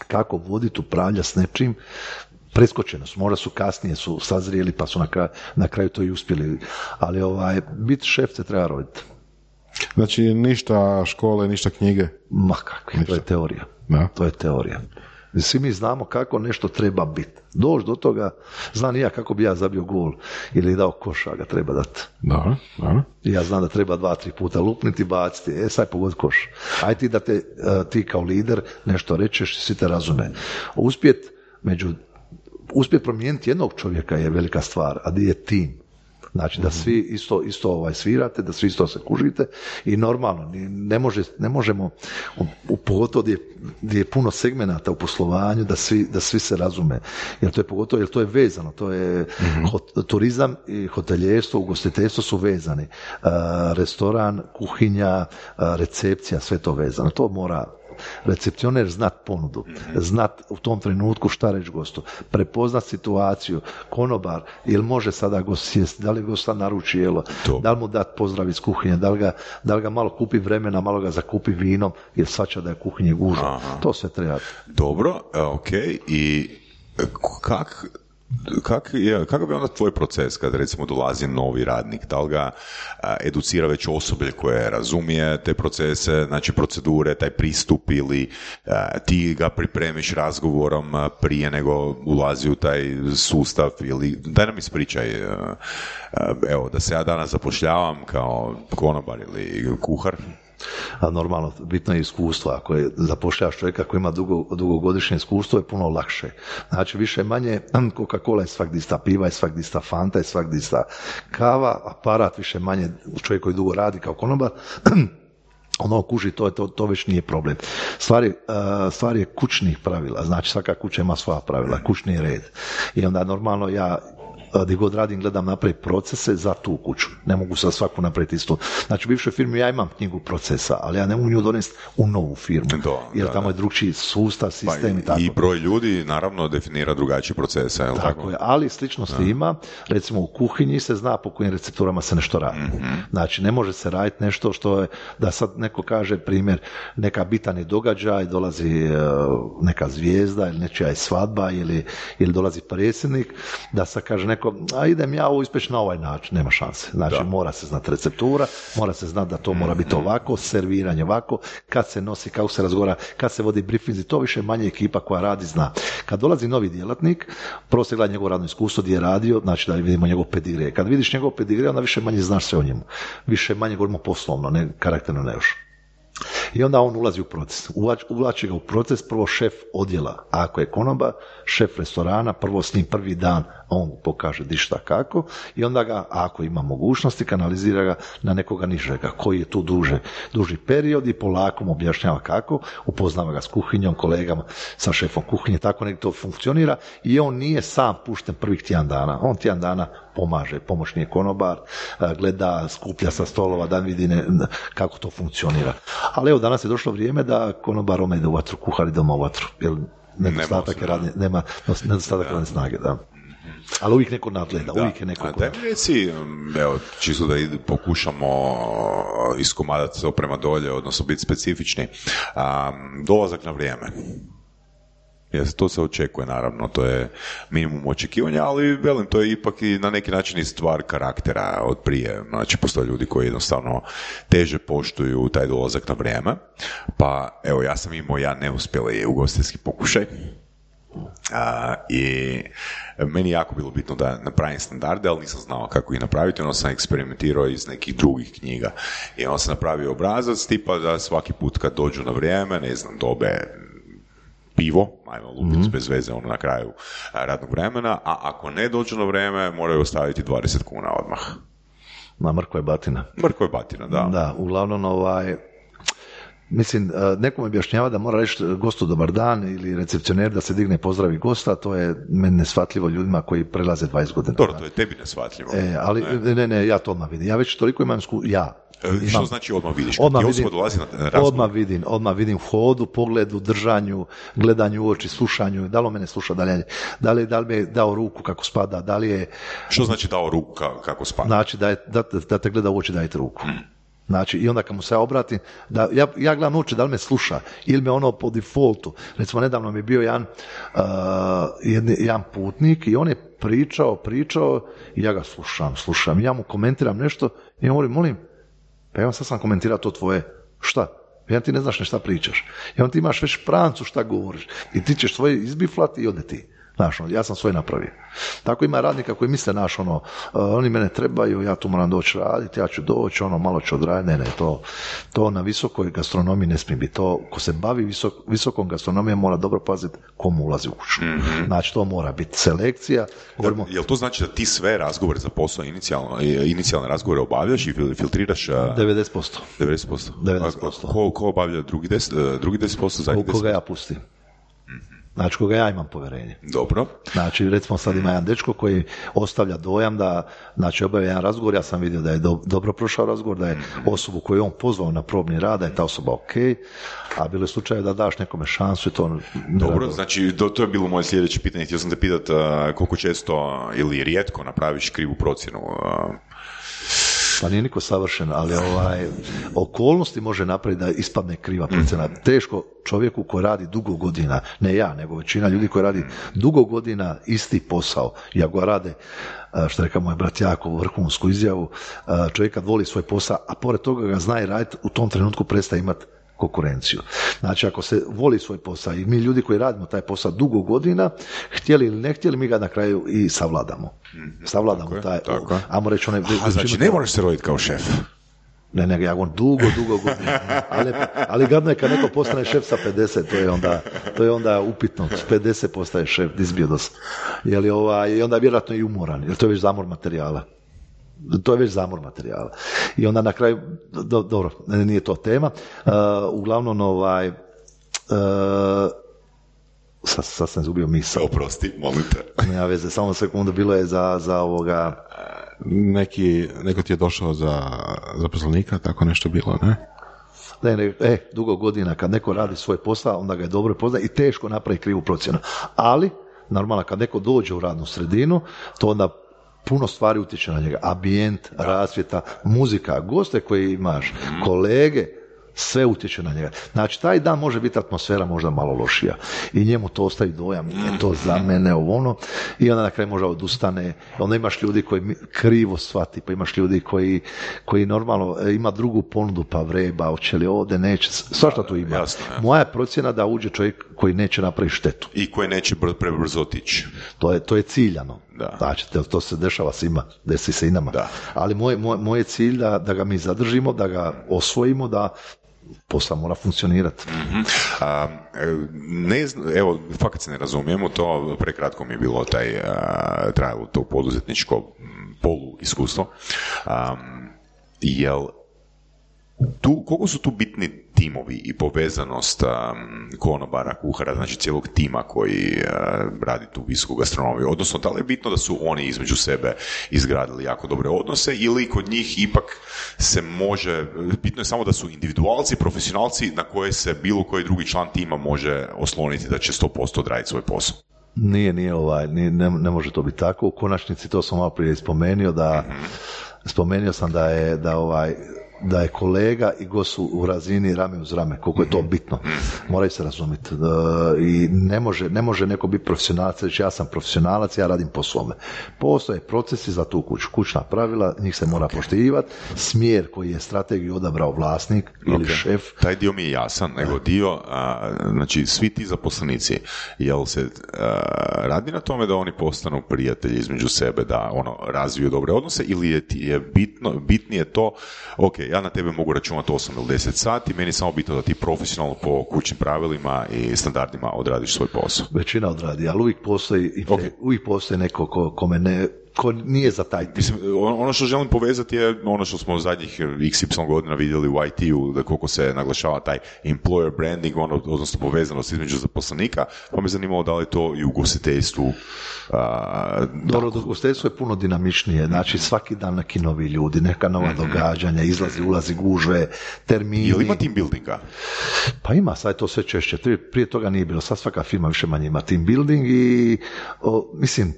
kako voditi, upravljati s nečim, preskočeno su, možda su kasnije su sazrijeli pa su na kraju, na kraju to i uspjeli, ali ovaj, biti šef se treba roditi. Znači, ništa škole, ništa knjige? Ma kakve, to je teorija. Da. To je teorija. Svi mi znamo kako nešto treba biti. Doći do toga, znam i ja kako bi ja zabio gol ili dao koš, a ga treba dati. Da, da. Ja znam da treba dva, tri puta lupniti, baciti, e sad pogod koš. Aj ti da te, ti kao lider nešto rečeš i svi te razume. Uspjet, među, uspjet promijeniti jednog čovjeka je velika stvar, a di je tim. Znači da svi isto, isto ovaj svirate, da svi isto se kužite i normalno, ne, može, ne možemo, u pogotovo gdje, gdje je puno segmenata u poslovanju, da svi, da svi se razume, jer to je pogotovo, jer to je vezano, to je mm-hmm. hot, turizam i hoteljerstvo, ugostiteljstvo su vezani, uh, restoran, kuhinja, uh, recepcija, sve to vezano, to mora recepcioner znat ponudu, znat u tom trenutku šta reći gostu, prepoznat situaciju, konobar, jel može sada gost sjesti, da li gost sad naruči jelo, to. Da li mu dat pozdrav iz kuhinje, da li ga, da li ga malo kupi vremena, malo ga zakupi vinom, jer svača da je kuhinje gužva. To sve treba. Dobro, ok, i kak Kak je, kakav je onda tvoj proces kad recimo dolazi novi radnik? Da li ga a, educira već osoblje koje razumije te procese, znači procedure, taj pristup ili a, ti ga pripremiš razgovorom a, prije nego ulazi u taj sustav ili daj nam ispričaj a, a, evo da se ja danas zapošljavam kao konobar ili kuhar. A normalno, bitno je iskustvo. Ako je zapošljavaš čovjeka koji ima dugo, dugogodišnje iskustvo, je puno lakše. Znači, više manje, Coca-Cola je svak dista, piva je svak dista, Fanta je svak dista, kava, aparat više manje, čovjek koji dugo radi kao konobar, ono kuži, to, to, to već nije problem. Stvar je, uh, stvar je kućnih pravila, znači svaka kuća ima svoja pravila, kućni red. I onda normalno ja gdje god radim, gledam napraviti procese za tu kuću. Ne mogu sa svaku napraviti isto. Znači, u bivšoj firmi ja imam knjigu procesa, ali ja ne mogu nju donesti u novu firmu. Do, jer da, tamo da. je drugčiji sustav, sistem pa, i tako. I broj ljudi, naravno, definira drugačije procese. Je li tako, tako je, ali sličnosti da. Ima. Recimo, u kuhinji se zna po kojim recepturama se nešto radi. Mm-hmm. Znači, ne može se raditi nešto što je, da sad neko kaže, primjer, neka bitan je događaj, dolazi uh, neka zvijezda ili nečija je svadba ili, ili dolazi predsjednik, da sad kaže neko, a idem ja ovo ispeći na ovaj način, nema šanse. Znači, da. Mora se znati receptura, mora se znati da to mora biti ovako, serviranje ovako, kad se nosi, kako se razgovara, kad se vodi briefinzi, to više manje ekipa koja radi zna. Kad dolazi novi djelatnik, prvo se gleda njegovo radno iskustvo, gdje je radio, znači da vidimo njegov pedigre. Kad vidiš njegov pedigre, onda više manje znaš sve o njemu. Više manje govorimo poslovno, ne karakterno, ne još. I onda on ulazi u proces. Uvlači ga u proces prvo šef odjela. A ako je konobar, šef restorana, prvo s njim prvi dan on pokaže di šta kako i onda ga, ako ima mogućnosti, kanalizira ga na nekoga nižega, koji je tu duže, duži period i polako mu objašnjava kako, upoznava ga s kuhinjom, kolegama, sa šefom kuhinje, tako nek to funkcionira i on nije sam pušten prvih tjedan dana. On tjedan dana pomaže, pomoćni je konobar, gleda, skuplja sa stolova, da vidi ne, kako to funkcionira. Ali evo, danas je došlo vrijeme da konobar ome ide u vatru, kuhar ide u vatru, jer nedostatak je radne, nema nedostatak radne snage, da. Ali uvijek neko nadgleda, da. Uvijek je neko... Daj mi reci, evo, čisto da pokušamo iskomadati to prema dolje, odnosno biti specifični, um, dolazak na vrijeme. Jer to se očekuje, naravno, to je minimum očekivanja, ali velim, to je ipak i na neki način i stvar karaktera od prije. Znači, postoje ljudi koji jednostavno teže poštuju taj dolazak na vrijeme. Pa, evo, ja sam imao ja neuspjeli ugostiteljski pokušaj. A, i meni je jako bilo bitno da napravim standarde, ali nisam znao kako ih napraviti, onda sam eksperimentirao iz nekih drugih knjiga i onda sam napravio obrazac tipa da svaki put kad dođu na vrijeme, ne znam, dobe pivo, ajmo lupiti mm-hmm. bez veze ono na kraju radnog vremena, a ako ne dođu na vrijeme moraju ostaviti dvadeset kuna odmah. Na mrkva je batina. Mrkva je batina, da. Da, uglavnom ovaj... Mislim, nekom objašnjava da mora reći gostu dobar dan ili recepcioner da se digne i pozdravi gosta, to je meni neshvatljivo ljudima koji prelaze dvadeset godina. Dobro, to je tebi neshvatljivo. E, ali ne. ne, ne, ja to odmah vidim. Ja već toliko imam sku... ja. Imam, što znači odmah vidiš? Odmah vidim, dolazi na razgovor? Odmah vidim, odmah vidim u hodu, pogledu, držanju, gledanju u oči, slušanju, da li on mene sluša, da li, da li, da li mi je dao ruku kako spada, da li je... Što znači dao ruku kako spada? Znači da, je, da, da te gleda u oči, dajte ruku. Hmm. Znači, i onda kad mu se ja obratim, da, ja, ja gledam uče da li me sluša ili me ono po defaultu. Recimo, nedavno mi je bio jedan, uh, jedni, jedan putnik i on je pričao, pričao i ja ga slušam, slušam. Ja mu komentiram nešto i ja molim, molim, pa ja sad sam komentirao to tvoje, šta? Ja ti ne znaš ne šta pričaš. I on ti imaš već prancu šta govoriš i ti ćeš svoje izbiflati i ode ti. Znaš, ja sam svoje napravio. Tako ima radnika koji misle, naš, ono, uh, oni mene trebaju, ja tu moram doći raditi, ja ću doći, ono, malo ću odraditi, ne, ne, to, to na visokoj gastronomiji ne smije biti. To, ko se bavi visok, visokom gastronomijom, mora dobro paziti komu ulazi u kuću. Mm-hmm. Znači, to mora biti selekcija. Govorimo... Da, jel to znači da ti sve razgovore za posao, inicijalno, inicijalne razgovore obavljaš i filtriraš? devedeset posto. devedeset posto. devedeset posto. Ko, ko obavlja drugi deset posto? Drugi deset posto, zadnji deset posto? Koga ja pustim. Znači, koga ja imam povjerenje. Dobro. Znači, recimo sad ima jedan dečko koji ostavlja dojam da, znači, obavlja jedan razgovor, ja sam vidio da je do, dobro prošao razgovor, da je osobu koju on pozvao na probni rad, da je ta osoba ok, a bilo je slučaje da daš nekome šansu i to... Dobro, rado. znači, to, to je bilo moje sljedeće pitanje. Htio sam te pitati uh, koliko često ili rijetko napraviš krivu procjenu uh, Pa nije niko savršen, ali ovaj, okolnosti može napraviti da ispadne kriva procjena. Teško čovjeku koji radi dugo godina, ne ja, nego većina ljudi koji radi dugo godina isti posao, i ako ga rade, što reka moj brat Jakov, vrhunsku izjavu, čovjek kad voli svoj posao, a pored toga ga zna i raditi, u tom trenutku prestaje imati konkurenciju. Znači, ako se voli svoj posao i mi ljudi koji radimo taj posao dugo godina, htjeli ili ne htjeli, mi ga na kraju i savladamo. Savladamo tako taj, tako. o, ajmo reći, one... A znači, ne moraš se roditi kao šef. Ne, ne, ja govorim dugo, dugo godina. Ali, ali gadno je kad neko postane šef sa pedeset, to je onda, to je onda upitno. S pedeset postaje šef, disbiodos. Je li ovaj, i onda je vjerojatno i umoran, jer to je već zamor materijala. To je već zamor materijala. I onda na kraju, do, dobro, nije to tema, uh, uglavnom ovaj, uh, sad, sad sam izgubio misao. Oprosti, molim te. Nema veze, samo sekundu, bilo je za, za ovoga... Neki, neko ti je došao za zaposlenika, tako nešto bilo, ne? Ne, ne, e, dugo godina kad neko radi svoj posao, onda ga je dobro poznaje i teško napravi krivu procjenu. Ali, normalno, kad neko dođe u radnu sredinu, to onda puno stvari utječe na njega. Ambijent, rasvjeta, muzika, goste koje imaš, kolege, sve utječe na njega. Znači, taj dan može biti atmosfera možda malo lošija i njemu to ostavi dojam, nije to za mene, ovo ono, i onda na kraju možda odustane. Onda imaš ljudi koji krivo shvati, pa imaš ljudi koji, koji normalno ima drugu ponudu, pa vreba, hoće li ovdje, neće, svašta tu ima. Jasno, ja. Moja je procjena da uđe čovjek koji neće napraviti štetu. I koji neće prebrzo otići. To je, to je ciljano. Da. Znači, to, to se dešava svima, desi se i nama. Da. Ali moj, moj, moj je cilj da, da ga mi zadržimo, da ga osvojimo, da posao mora funkcionirati. Mm-hmm. A, ne znam, evo, fakat se ne razumijemo, to prekratko mi je bilo taj, a, trajalo to poduzetničko polu iskustvo. Um, jel tu, koliko su tu bitni timovi i povezanost um, konobara, kuhara, znači cijelog tima koji uh, radi tu visoku gastronomiju, odnosno da li je bitno da su oni između sebe izgradili jako dobre odnose ili kod njih ipak se može, bitno je samo da su individualci, profesionalci na koje se bilo koji drugi član tima može osloniti da će sto posto odraditi svoj posao. Nije, nije ovaj, nije, ne, ne može to biti tako. U konačnici to sam malo prije spomenuo da, mm-hmm. spomenuo sam da je, da ovaj, da je kolega i gost su u razini rame uz rame, koliko je to bitno. Moraju se razumjeti. I ne može, ne može neko biti profesionalac, reći ja sam profesionalac, ja radim po svome. Postoje procesi za tu kuću, kućna pravila, njih se mora okay. poštivati, smjer koji je strategiju odabrao vlasnik ili okay. šef. Taj dio mi je jasan, nego dio, a, znači svi ti zaposlenici, jel se a, radi na tome da oni postanu prijatelji između sebe, da ono razviju dobre odnose, ili je, je bitno, bitnije to, ok, ja na tebe mogu računati osam ili deset sati, meni je samo bitno da ti profesionalno po kućnim pravilima i standardima odradiš svoj posao. Većina odradi, ali uvijek postoji, okay. uvijek postoji neko ko, kome ne, ko nije za taj tim. Mislim, ono što želim povezati je ono što smo zadnjih iks ipsilon godina vidjeli u i te-u, da koliko se naglašava taj employer branding, ono, odnosno povezanost između zaposlenika, pa me zanimalo da li je to i u ugostiteljstvu. Dobro, ugostiteljstvo je puno dinamičnije, znači svaki dan neki novi ljudi, neka nova mm-hmm. događanja, izlazi, ulazi, gužve, termini. Je li ima team buildinga? Pa ima, sad je to sve češće, prije toga nije bilo, sad svaka firma više manje ima team building i o, mislim,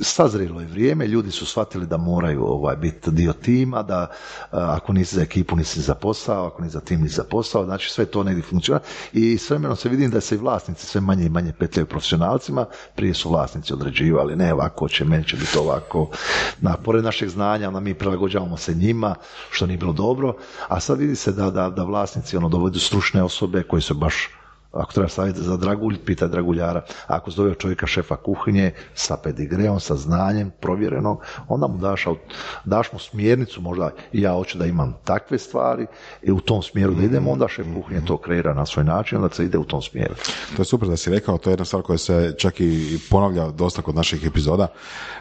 sazrelo je vrijeme, ljudi su shvatili da moraju ovaj, biti dio tima, da a, ako nisi za ekipu, nisi za posao, ako nisi za tim, nisi za posao, znači sve to negdje funkcionira i s vremenom se vidim da se i vlasnici sve manje i manje petljaju profesionalcima, prije su vlasnici određivali, ne ovako će, meni će biti ovako, na, pored našeg znanja, onda mi prilagođavamo se njima, što nije bilo dobro, a sad vidi se da, da, da vlasnici ono, dovedu stručne osobe koji su baš, ako treba savjeti za dragulj, pita draguljara. Ako zove čovjeka šefa kuhinje sa pedigreom, sa znanjem, provjerenom, onda mu daš, daš mu smjernicu, možda ja hoću da imam takve stvari i u tom smjeru da idemo, onda šef kuhinje to kreira na svoj način, onda se ide u tom smjeru. To je super da si rekao, to je jedna stvar koja se čak i ponavlja dosta kod naših epizoda,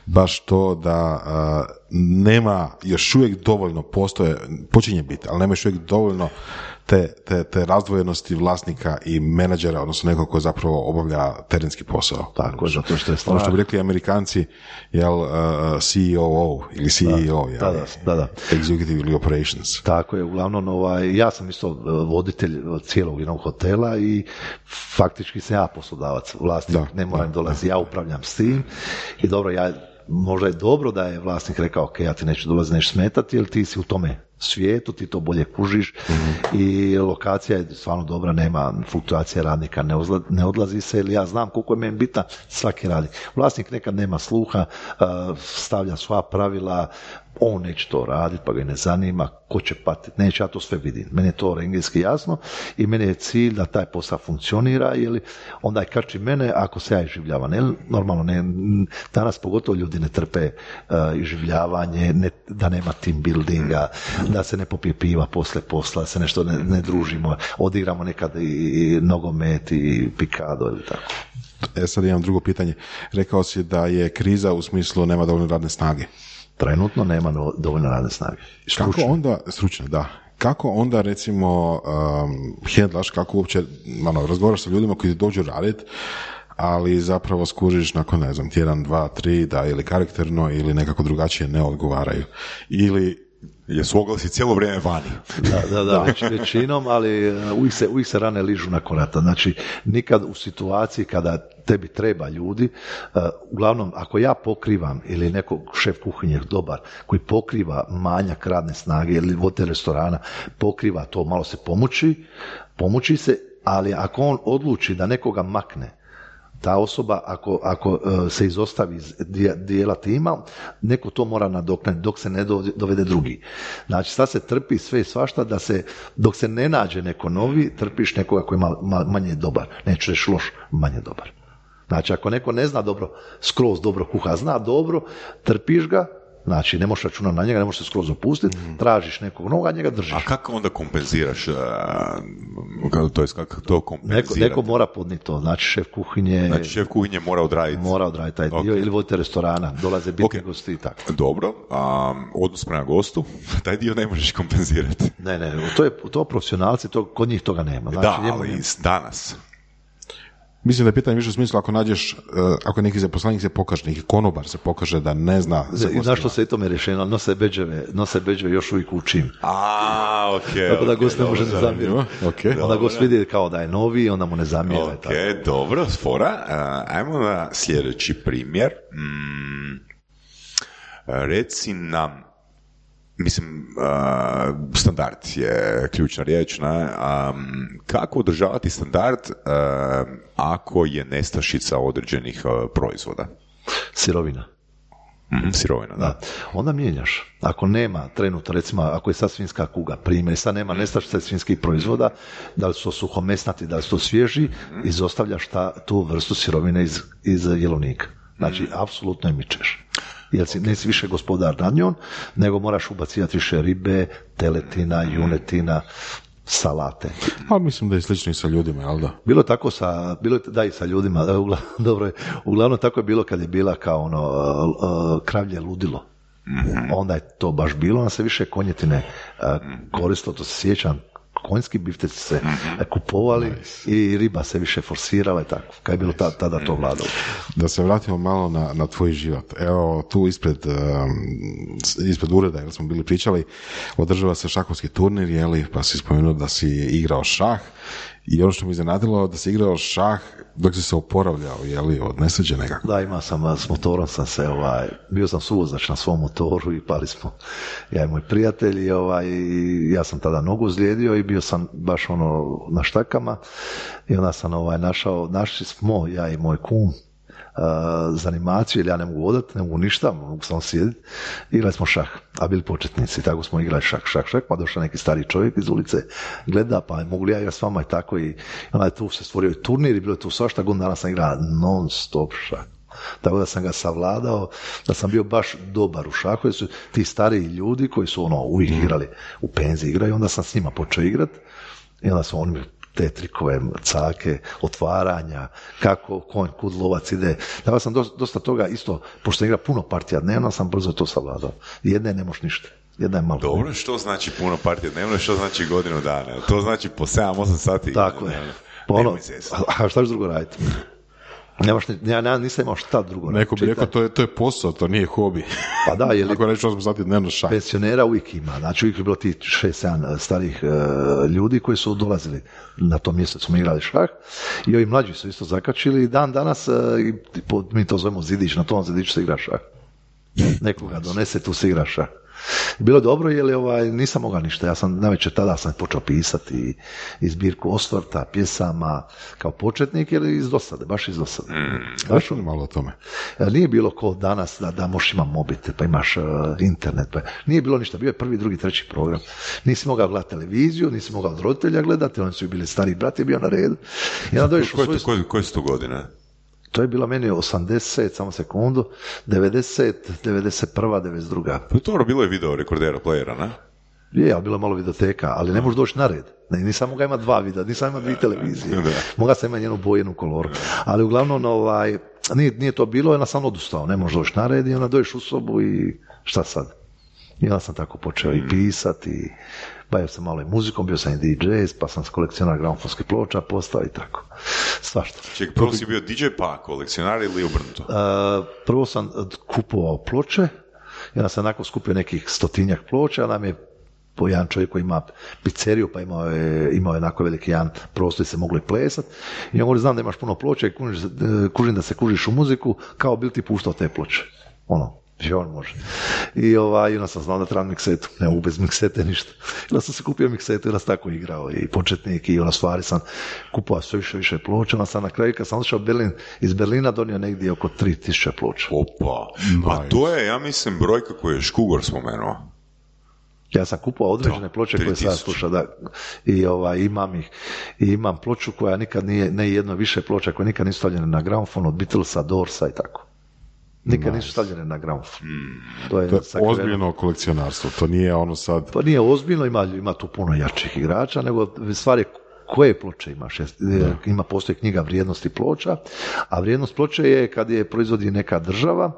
baš to da uh, nema još uvijek dovoljno, postoje, počinje biti, ali nema još uvijek dovoljno te, te, te razdvojenosti vlasnika i menadžera, odnosno nekog ko zapravo obavlja terenski posao. Tako je, zato što je stvar. Ono što bi rekli Amerikanci, jel, uh, C E O ili C E O, da, jel, da, da, da. Executive Operations. Tako je, uglavnom, ovaj, ja sam isto voditelj cijelog jednog hotela i faktički sam ja poslodavac, vlasnik, da, ne moram da, dolazi, da. ja upravljam s tim i dobro, ja možda je dobro da je vlasnik rekao, ok, ja ti neću dolaziti, neću smetati, jer ti si u tome svijetu, ti to bolje kužiš mm-hmm. i lokacija je stvarno dobra, nema fluktuacija radnika, ne, ozla, ne odlazi se, jer ja znam koliko je meni bitna svaki radnik. Vlasnik nekad nema sluha, stavlja sva pravila, on neće to raditi, pa ga ne zanima, ko će patiti, neće, ja to sve vidim. Meni je to engleski jasno i meni je cilj da taj posao funkcionira, jer onda je kači mene ako se ja iživljavam. Ne, normalno, ne, danas pogotovo ljudi ne trpe uh, iživljavanje, ne, da nema team buildinga, da se ne popije piva posle posla, da se nešto ne, ne družimo, odigramo nekad i, i nogomet i pikado ili tako. E sad imam drugo pitanje. Rekao si da je kriza u smislu nema dovoljno radne snage. Trenutno nema dovoljno radne snage. Stručne. Kako onda, stručne, da. Kako onda recimo um, hendlaš, kako uopće ono, razgovaraš sa ljudima koji dođu raditi, ali zapravo skužiš nakon, ne znam, tjedan, dva, tri, da ili karakterno ili nekako drugačije ne odgovaraju. Ili jesu oglasi cijelo vrijeme vani. Da, da, da, već, većinom, ali uvijek se, uvijek se rane ližu nakon rata. Znači, nikad u situaciji kada tebi treba ljudi, uh, uglavnom, ako ja pokrivam ili nekog šef kuhinje dobar, koji pokriva manjak radne snage ili voditelj restorana, pokriva to, malo se pomuči, pomuči se, ali ako on odluči da nekoga makne, ta osoba, ako, ako uh, se izostavi iz dijela tima, neko to mora nadoknaditi dok se ne dovede drugi. Znači, sad se trpi sve i svašta, da se, dok se ne nađe neko novi, trpiš nekoga koji je mal, mal, manje dobar. Neću reći loš, manje dobar. Znači, ako neko ne zna dobro, skroz dobro kuha, zna dobro, trpiš ga, znači ne možeš računati na njega, ne možeš se skroz opustiti, mm. tražiš nekog novog, a njega držiš. A kako onda kompenziraš? To je kako to kompenzirati? Neko, neko mora podniti to, znači šef kuhinje... Znači šef kuhinje mora odraditi? Mora odraditi taj dio, okay. Ili vodite restorana, dolaze bitni okay. gosti i tako. Dobro, um, odnos prema gostu, taj dio ne možeš kompenzirati. Ne, ne, to je to profesionalci, to, kod njih toga nema. Znači, da, ali nema. Danas... Mislim da je pitanje više u smislu ako nađeš, ako neki zaposlenik se pokaže, neki konobar se pokaže da ne zna za gostima. Znaš što se i tome rješeno, nose beđeve, nose beđeve još uvijek učim. A, okej. Okay, tako da okay, gost ne može ne zamjeriti. Okay. Onda gost vidi kao da je novi, onda mu ne zamjera. Ok, tako. Dobro, fora. Uh, ajmo na sljedeći primjer. Mm, reci nam, mislim, uh, standard je ključna riječ, ne? Um, kako održavati standard uh, ako je nestašica određenih uh, proizvoda? Sirovina. Mm, sirovina, da. da. Onda mijenjaš. Ako nema trenutno, recimo, ako je sad svinjska kuga, primjer, sad nema nestašice svinjskih proizvoda, da li su to suhomesnati, da li su to svježi, mm. izostavljaš ta, tu vrstu sirovine iz, iz jelovnika. Znači, mm. apsolutno je mičeš. Jer si, nisi više gospodar nad njom, nego moraš ubacivati više ribe, teletina, junetina, salate. A mislim da je slično i sa ljudima, jel da? Bilo tako sa, bilo je, da i sa ljudima, da, uglavnom, dobro je, uglavnom tako je bilo kad je bila kao ono uh, uh, kravlje ludilo. Mm-hmm. Onda je to baš bilo, onda se više konjetine uh, koristilo, to se sjećam, konjski bifteci se mm-hmm. kupovali nice. I riba se više forsirala i tako. Kad je bilo tada, tada to vladalo. Da se vratimo malo na, na tvoj život. Evo, tu ispred, um, ispred ureda, jer smo bili pričali, održava se šahovski turnir, jeli, pa si spomenuo da si igrao šah. I ono što mi iznenadilo, da si igrao šah dok si se oporavljao, jeli, od nesreće nekako. Da, imao sam, s motorom sam se, ovaj, bio sam suvozač na svom motoru i pali smo, ja i moj prijatelj, i ovaj, ja sam tada nogu ozlijedio i bio sam baš ono na štakama i onda sam ovaj, našao, našli smo, ja i moj kum, Uh, za animaciju, jer ja ne mogu odati, ne mogu ništa, mogu samo sjediti. Igrali smo šah, a bili početnici, tako smo igrali šah, šah, šah, pa došao neki stari čovjek iz ulice, gleda, pa mogu li ja igrati s vama i tako, i onda je tu se stvorio i turnir i bilo je tu svašta, godinu dana sam igrao non stop šah. Tako da sam ga savladao, da sam bio baš dobar u šahu, jer su ti stariji ljudi koji su ono uvijek igrali, u penziji igraju, onda sam s njima počeo igrati i onda su oni te trikove, cake, otvaranja, kako konj, kud lovac ide. Dakle sam dosta, dosta toga isto, pošto sam igra puno partija dnevno, sam brzo to savladao. Jedne ne moš ništa. Jedna je malo. Dobro, što znači puno partija dnevno, što znači godinu dana? To znači po sedam osam sati. Tako je. Ono, a šta ćeš drugo raditi? Nemaš, ja nisam imao šta drugo. Neko bi rekao, to je, to je posao, to nije hobi. Pa da, je li... Ako neću osam sati dnevno šah. Pensionera uvijek ima. Znači uvijek je bilo ti šest sedam starih uh, ljudi koji su dolazili na tom mjestu, smo igrali šah. I ovi mlađi su isto zakačili i dan danas, uh, mi to zovemo zidić, na tom zidiću se igra šah. Nekoga donese, tu se igraša. Bilo je dobro jer ovaj, nisam mogao ništa, ja sam navečer tada sam počeo pisati i zbirku osvrta, pjesama kao početnik ili iz dosade, baš iz dosade. Mm, baš ono malo o tome. Nije bilo ko danas da, da možeš imati mobitel, pa imaš uh, internet, pa nije bilo ništa, bio je prvi, drugi, treći program. Nisi mogao gledati televiziju, nisi mogao od roditelja gledati, oni su bili stariji brat je bio na redu. I onda dođeš u koje, svoju... koje, koje su to godine? To je bila meni osamdeset, samo sekundu, devedeset, devedeset prva, devedeset druga. Pa to bilo je video rekordera, playera, ne? Je, ali bilo je malo videoteka, ali ne možeš doći na red. Ne, nisam mogao imati dva videa, nisam imao dvije televizije. Mogao sam imati jednu bojenu koloru. Ali uglavnom, ovaj, nije, nije to bilo, onda sam odustao, ne možeš doći na red i onda dođeš u sobu i šta sad? I onda sam tako počeo i pisati i bavio sam malo i muzikom, bio sam i D J, pa sam kolekcionar gramofonskih ploča postao i tako. Svašta. Čekaj, prvo si bio D J pa kolekcionar ili obrnuto? Uh, prvo sam kupovao ploče i onda sam nakon skupio nekih stotinjak ploča, nam je po jedan čovjek koji ima pizzeriju, pa imao je, imao je onako veliki jedan prostor i se mogli plesat. I on govori, znam da imaš puno ploča i kužiš, kužim da se kužiš u muziku, kao bil ti puštao te ploče. Ono, že on može. I ovaj, onda sam znao da trebam miksetu, ne mogu bez miksete ništa. I onda sam se kupio miksetu i onda sam tako igrao i početnik i ona stvari sam kupovao sve više više ploča, onda sam na kraju kad sam otišao Berlin, iz Berlina donio negdje oko tri tisuće ploča. Opa, a to je, ja mislim, brojka koju je Škugor spomenuo. Ja sam kupovao određene ploče koje sam slušao, da, i ovaj, imam ih, i imam ploču koja nikad nije, ne jedno više ploča koje nikad nisu stavljene na gramofon, od Beatlesa, Doorsa i tako. Nikad nisu stavljene na gramofon. Mm. To je, to je ozbiljno kolekcionarstvo, to nije ono sad... Pa nije ozbiljno, ima, ima tu puno jačih igrača, nego stvari koje ploče imaš. Ima, postoji knjiga vrijednosti ploča, a vrijednost ploče je kad je proizvodi neka država,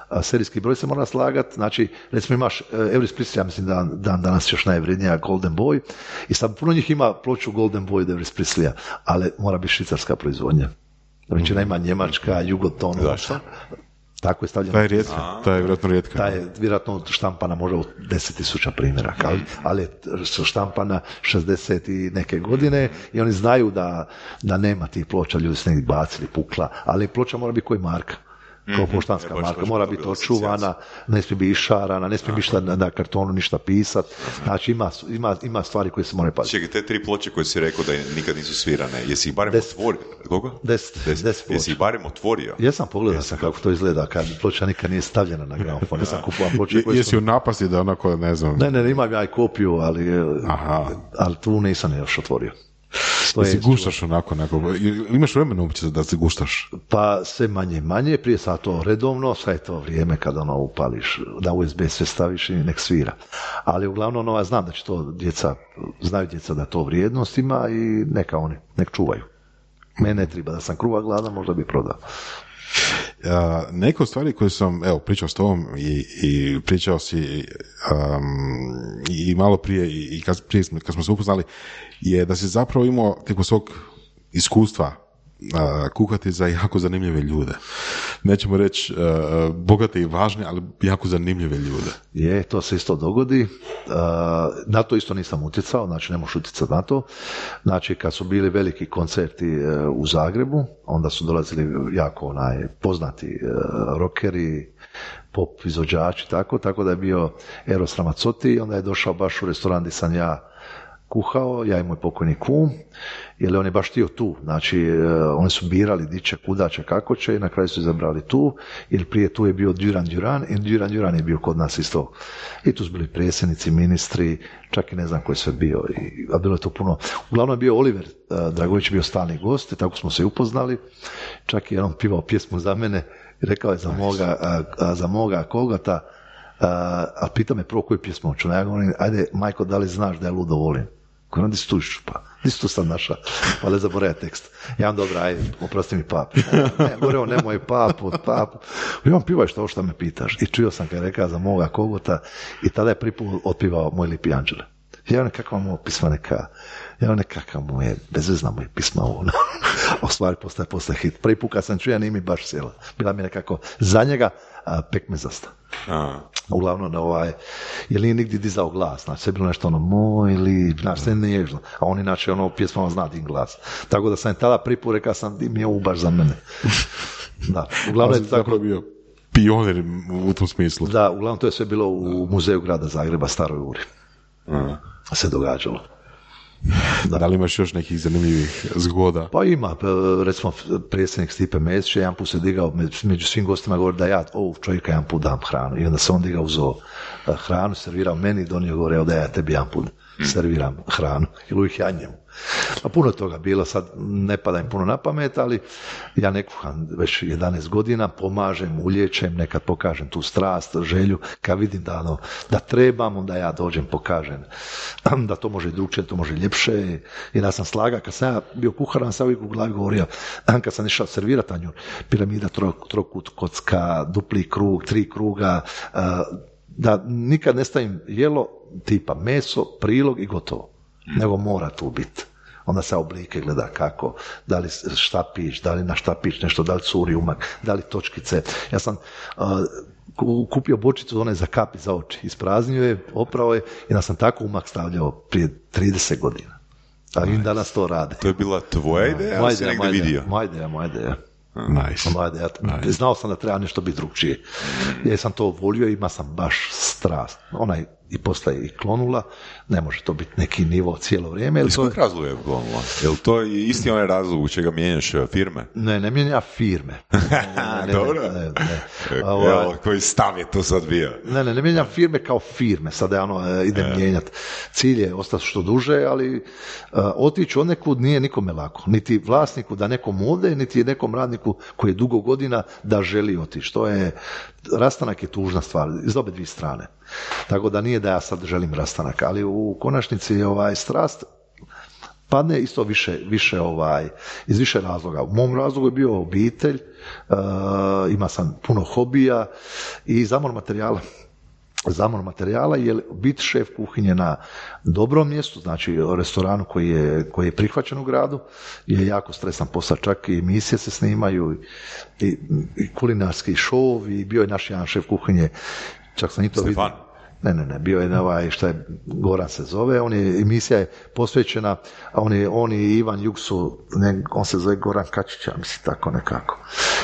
a serijski broj se mora slagati, znači recimo imaš Elvis Presley, ja mislim da dan danas još najvrednija Golden Boy, i sad puno njih ima ploču Golden Boy od Elvis Presleya, ali mora biti švicarska proizvodnja. Većina ima njemačka, Jugoton. Zašto? Tako je stavljeno. Ta je rijetka, ta je vjerojatno rijetka. Ta je vjerojatno štampana možda u deset tisuća primjeraka, ali, ali je štampana šezdeset i neke godine i oni znaju da, da nema tih ploča, ljudi su negdje bacili, pukla, ali ploča mora biti koji marka. Kao poštanska mm-hmm. marka, mora biti očuvana, ne smije biti išarana, ne smije ništa na, na kartonu ništa pisat, znači ima, ima, ima stvari koje se moraju paziti. Čekaj, te tri ploče koje si rekao da nikad nisu svirane, jesi ih barem Des, otvorio? Koliko? Deset, deset, deset ploča. Jesi ih barem otvorio? Jesam, pogledao sam kako to izgleda, kad ploča nikad nije stavljena na gramofon, jesam kupovao ploče koje jesi su... u napasti da onako, ne znam... Ne, ne, imam ja i kopiju, ali, ali tu nisam još otvorio. Da si guštaš onako, onako, imaš vremena uopće da se guštaš? Pa sve manje manje, prije sad to redovno, sad je to vrijeme kada ono upališ, da U S B sve staviš i nek svira. Ali uglavnom ono, ja znam da će to djeca, znaju djeca da to vrijednost ima i neka oni, nek čuvaju. Mene treba da sam kruva gladan, možda bi prodao. Uh, neke stvari koje sam, evo, pričao s tobom i, i pričao si um, i malo prije i, i kad, prije kad smo se upoznali, je da si zapravo imao tijekom svog iskustva uh, kuhati za jako zanimljive ljude. Nećemo reći uh, bogate i važne, ali jako zanimljive ljude. Je, to se isto dogodi. Uh, na to isto nisam utjecao, znači ne možeš utjecati na to. Znači, kad su bili veliki koncerti uh, u Zagrebu, onda su dolazili jako onaj, poznati uh, rockeri, pop izvođači, tako, tako da je bio Eros Ramazzotti, onda je došao baš u restoran gdje sam ja kuhao, ja i moj pokojni kum, jer on je baš htio tu, znači uh, oni su birali di će, kuda će, kako će i na kraju su izabrali tu, jer prije tu je bio Duran Duran i Duran Duran je bio kod nas isto, i tu su bili predsjednici, ministri, čak i ne znam ko je sve bio, i, a bilo je to puno, uglavnom je bio Oliver uh, Dragović bio stalni gost i tako smo se upoznali, čak i on pivao pjesmu za mene i rekao je za moga, uh, uh, za moga Kogota, uh, a pita me prvo koju pjesmu hoću, ja govorim, ajde Majko, da li znaš da ja ludo volim? Ko nam tu pa, di si tu sad naša, pa ne zaboravia tekst. Ja vam dobro, ajde, oprosti mi pap. Ne, govorio, nemoj pap, od pap. I on pivaj što, što me pitaš. I čuo sam kad je rekao za moga Kogota i tada je prvi put otpivao Moj lipi anđele. Ja nekakva mu pisma neka, ja nekakva mu je, bezvezna mu je pisma ovo. A u stvari postaje posle hit. Prvi put kad sam čuo, ja nije mi baš sjela. Bila mi nekako za njega a, pekmezasta. A. Uglavnom, ovaj, jer nije nigdje dizao glas, znači sve bilo nešto ono, moj li, znači sve nježno, a on inače ono pjesmama zna din glas. Tako da sam tada prvi put rekao sam, di mi je ovo baš za mene. Da, uglavnom je tako bio pionir u tom smislu. Da, uglavnom to je sve bilo u muzeju grada Zagreba, Staroj Uri. Uh. Se događalo. Da. Da li imaš još nekih zanimljivih zgoda? Pa ima, recimo predsjednik Stipe Mesić jedan put se digao među svim gostima govori da ja ovog čovjeka jedan put dam hranu i onda se on digao uzeo hranu, servirao meni i donio gore, evo da ja tebi jedan put serviram hranu ili uvijek ja njemu. A puno toga bilo, sad ne pada im puno na pamet, ali ja ne kuham već jedanaest godina, pomažem, ulječem, nekad pokažem tu strast, želju, kad vidim da, ono, da trebam, onda ja dođem, pokažem da to može drugčije, to može ljepše, i da sam slaga, kad sam ja bio kuharan, sam uvijek u glavi govorio, kad sam išao servirati tanjur, piramida, trokut, kocka, dupli krug, tri kruga, da nikad ne stavim jelo tipa meso, prilog i gotovo, nego mora tu biti. Onda se oblike gleda kako, da li štapić, da li na štapić nešto, da li curi umak, da li točkice. Ja sam uh, kupio bočicu one za kapi za oči, ispraznio je, oprao je i da sam tako umak stavljao prije trideset godina. A nice. I danas to rade. To je bila tvoja ideja, ali si negdje vidio? Moja ideja, moja ideja. Nice. Ja nice. Znao sam da treba nešto biti drugčije. Ja sam to volio i ima sam baš strast. Ona je i postaje i klonula, ne može to biti neki nivo cijelo vrijeme. Iz kojeg razloga je klonula? Je li to isti onaj razlog u čega mijenjaš firme? Ne, ne mijenja firme. Ne, ne, ne, Dobro. Ne, ne, ne. Evo, koji stav je to sad bio? Ne, ne, ne mijenjam firme kao firme, sad ja ono idem e. mijenjati. Cilj je ostati što duže, ali uh, otići od nekud nije nikome lako. Niti vlasniku da nekom ode, niti nekom radniku koji je dugo godina da želi otići. To je, rastanak je tužna stvar, iz obe dvije strane. Tako da nije da ja sad želim rastanak, ali u konačnici ovaj strast padne isto više, više ovaj, iz više razloga. U mom razlogu je bio obitelj, uh, ima sam puno hobija i zamor materijala. Zamor materijala, jer biti šef kuhinje na dobrom mjestu, znači restoranu koji je, koji je prihvaćen u gradu, je jako stresan posao, čak i emisije se snimaju i, i kulinarski šov, i bio je naš jedan šef kuhinje, čak sam i to vidio. Ne, ne, ne, bio je ovaj, šta je, Goran se zove, on je, emisija je posvećena, a on je, on i Ivan Juksu, ne, on se zove Goran Kačića, mislim, tako nekako.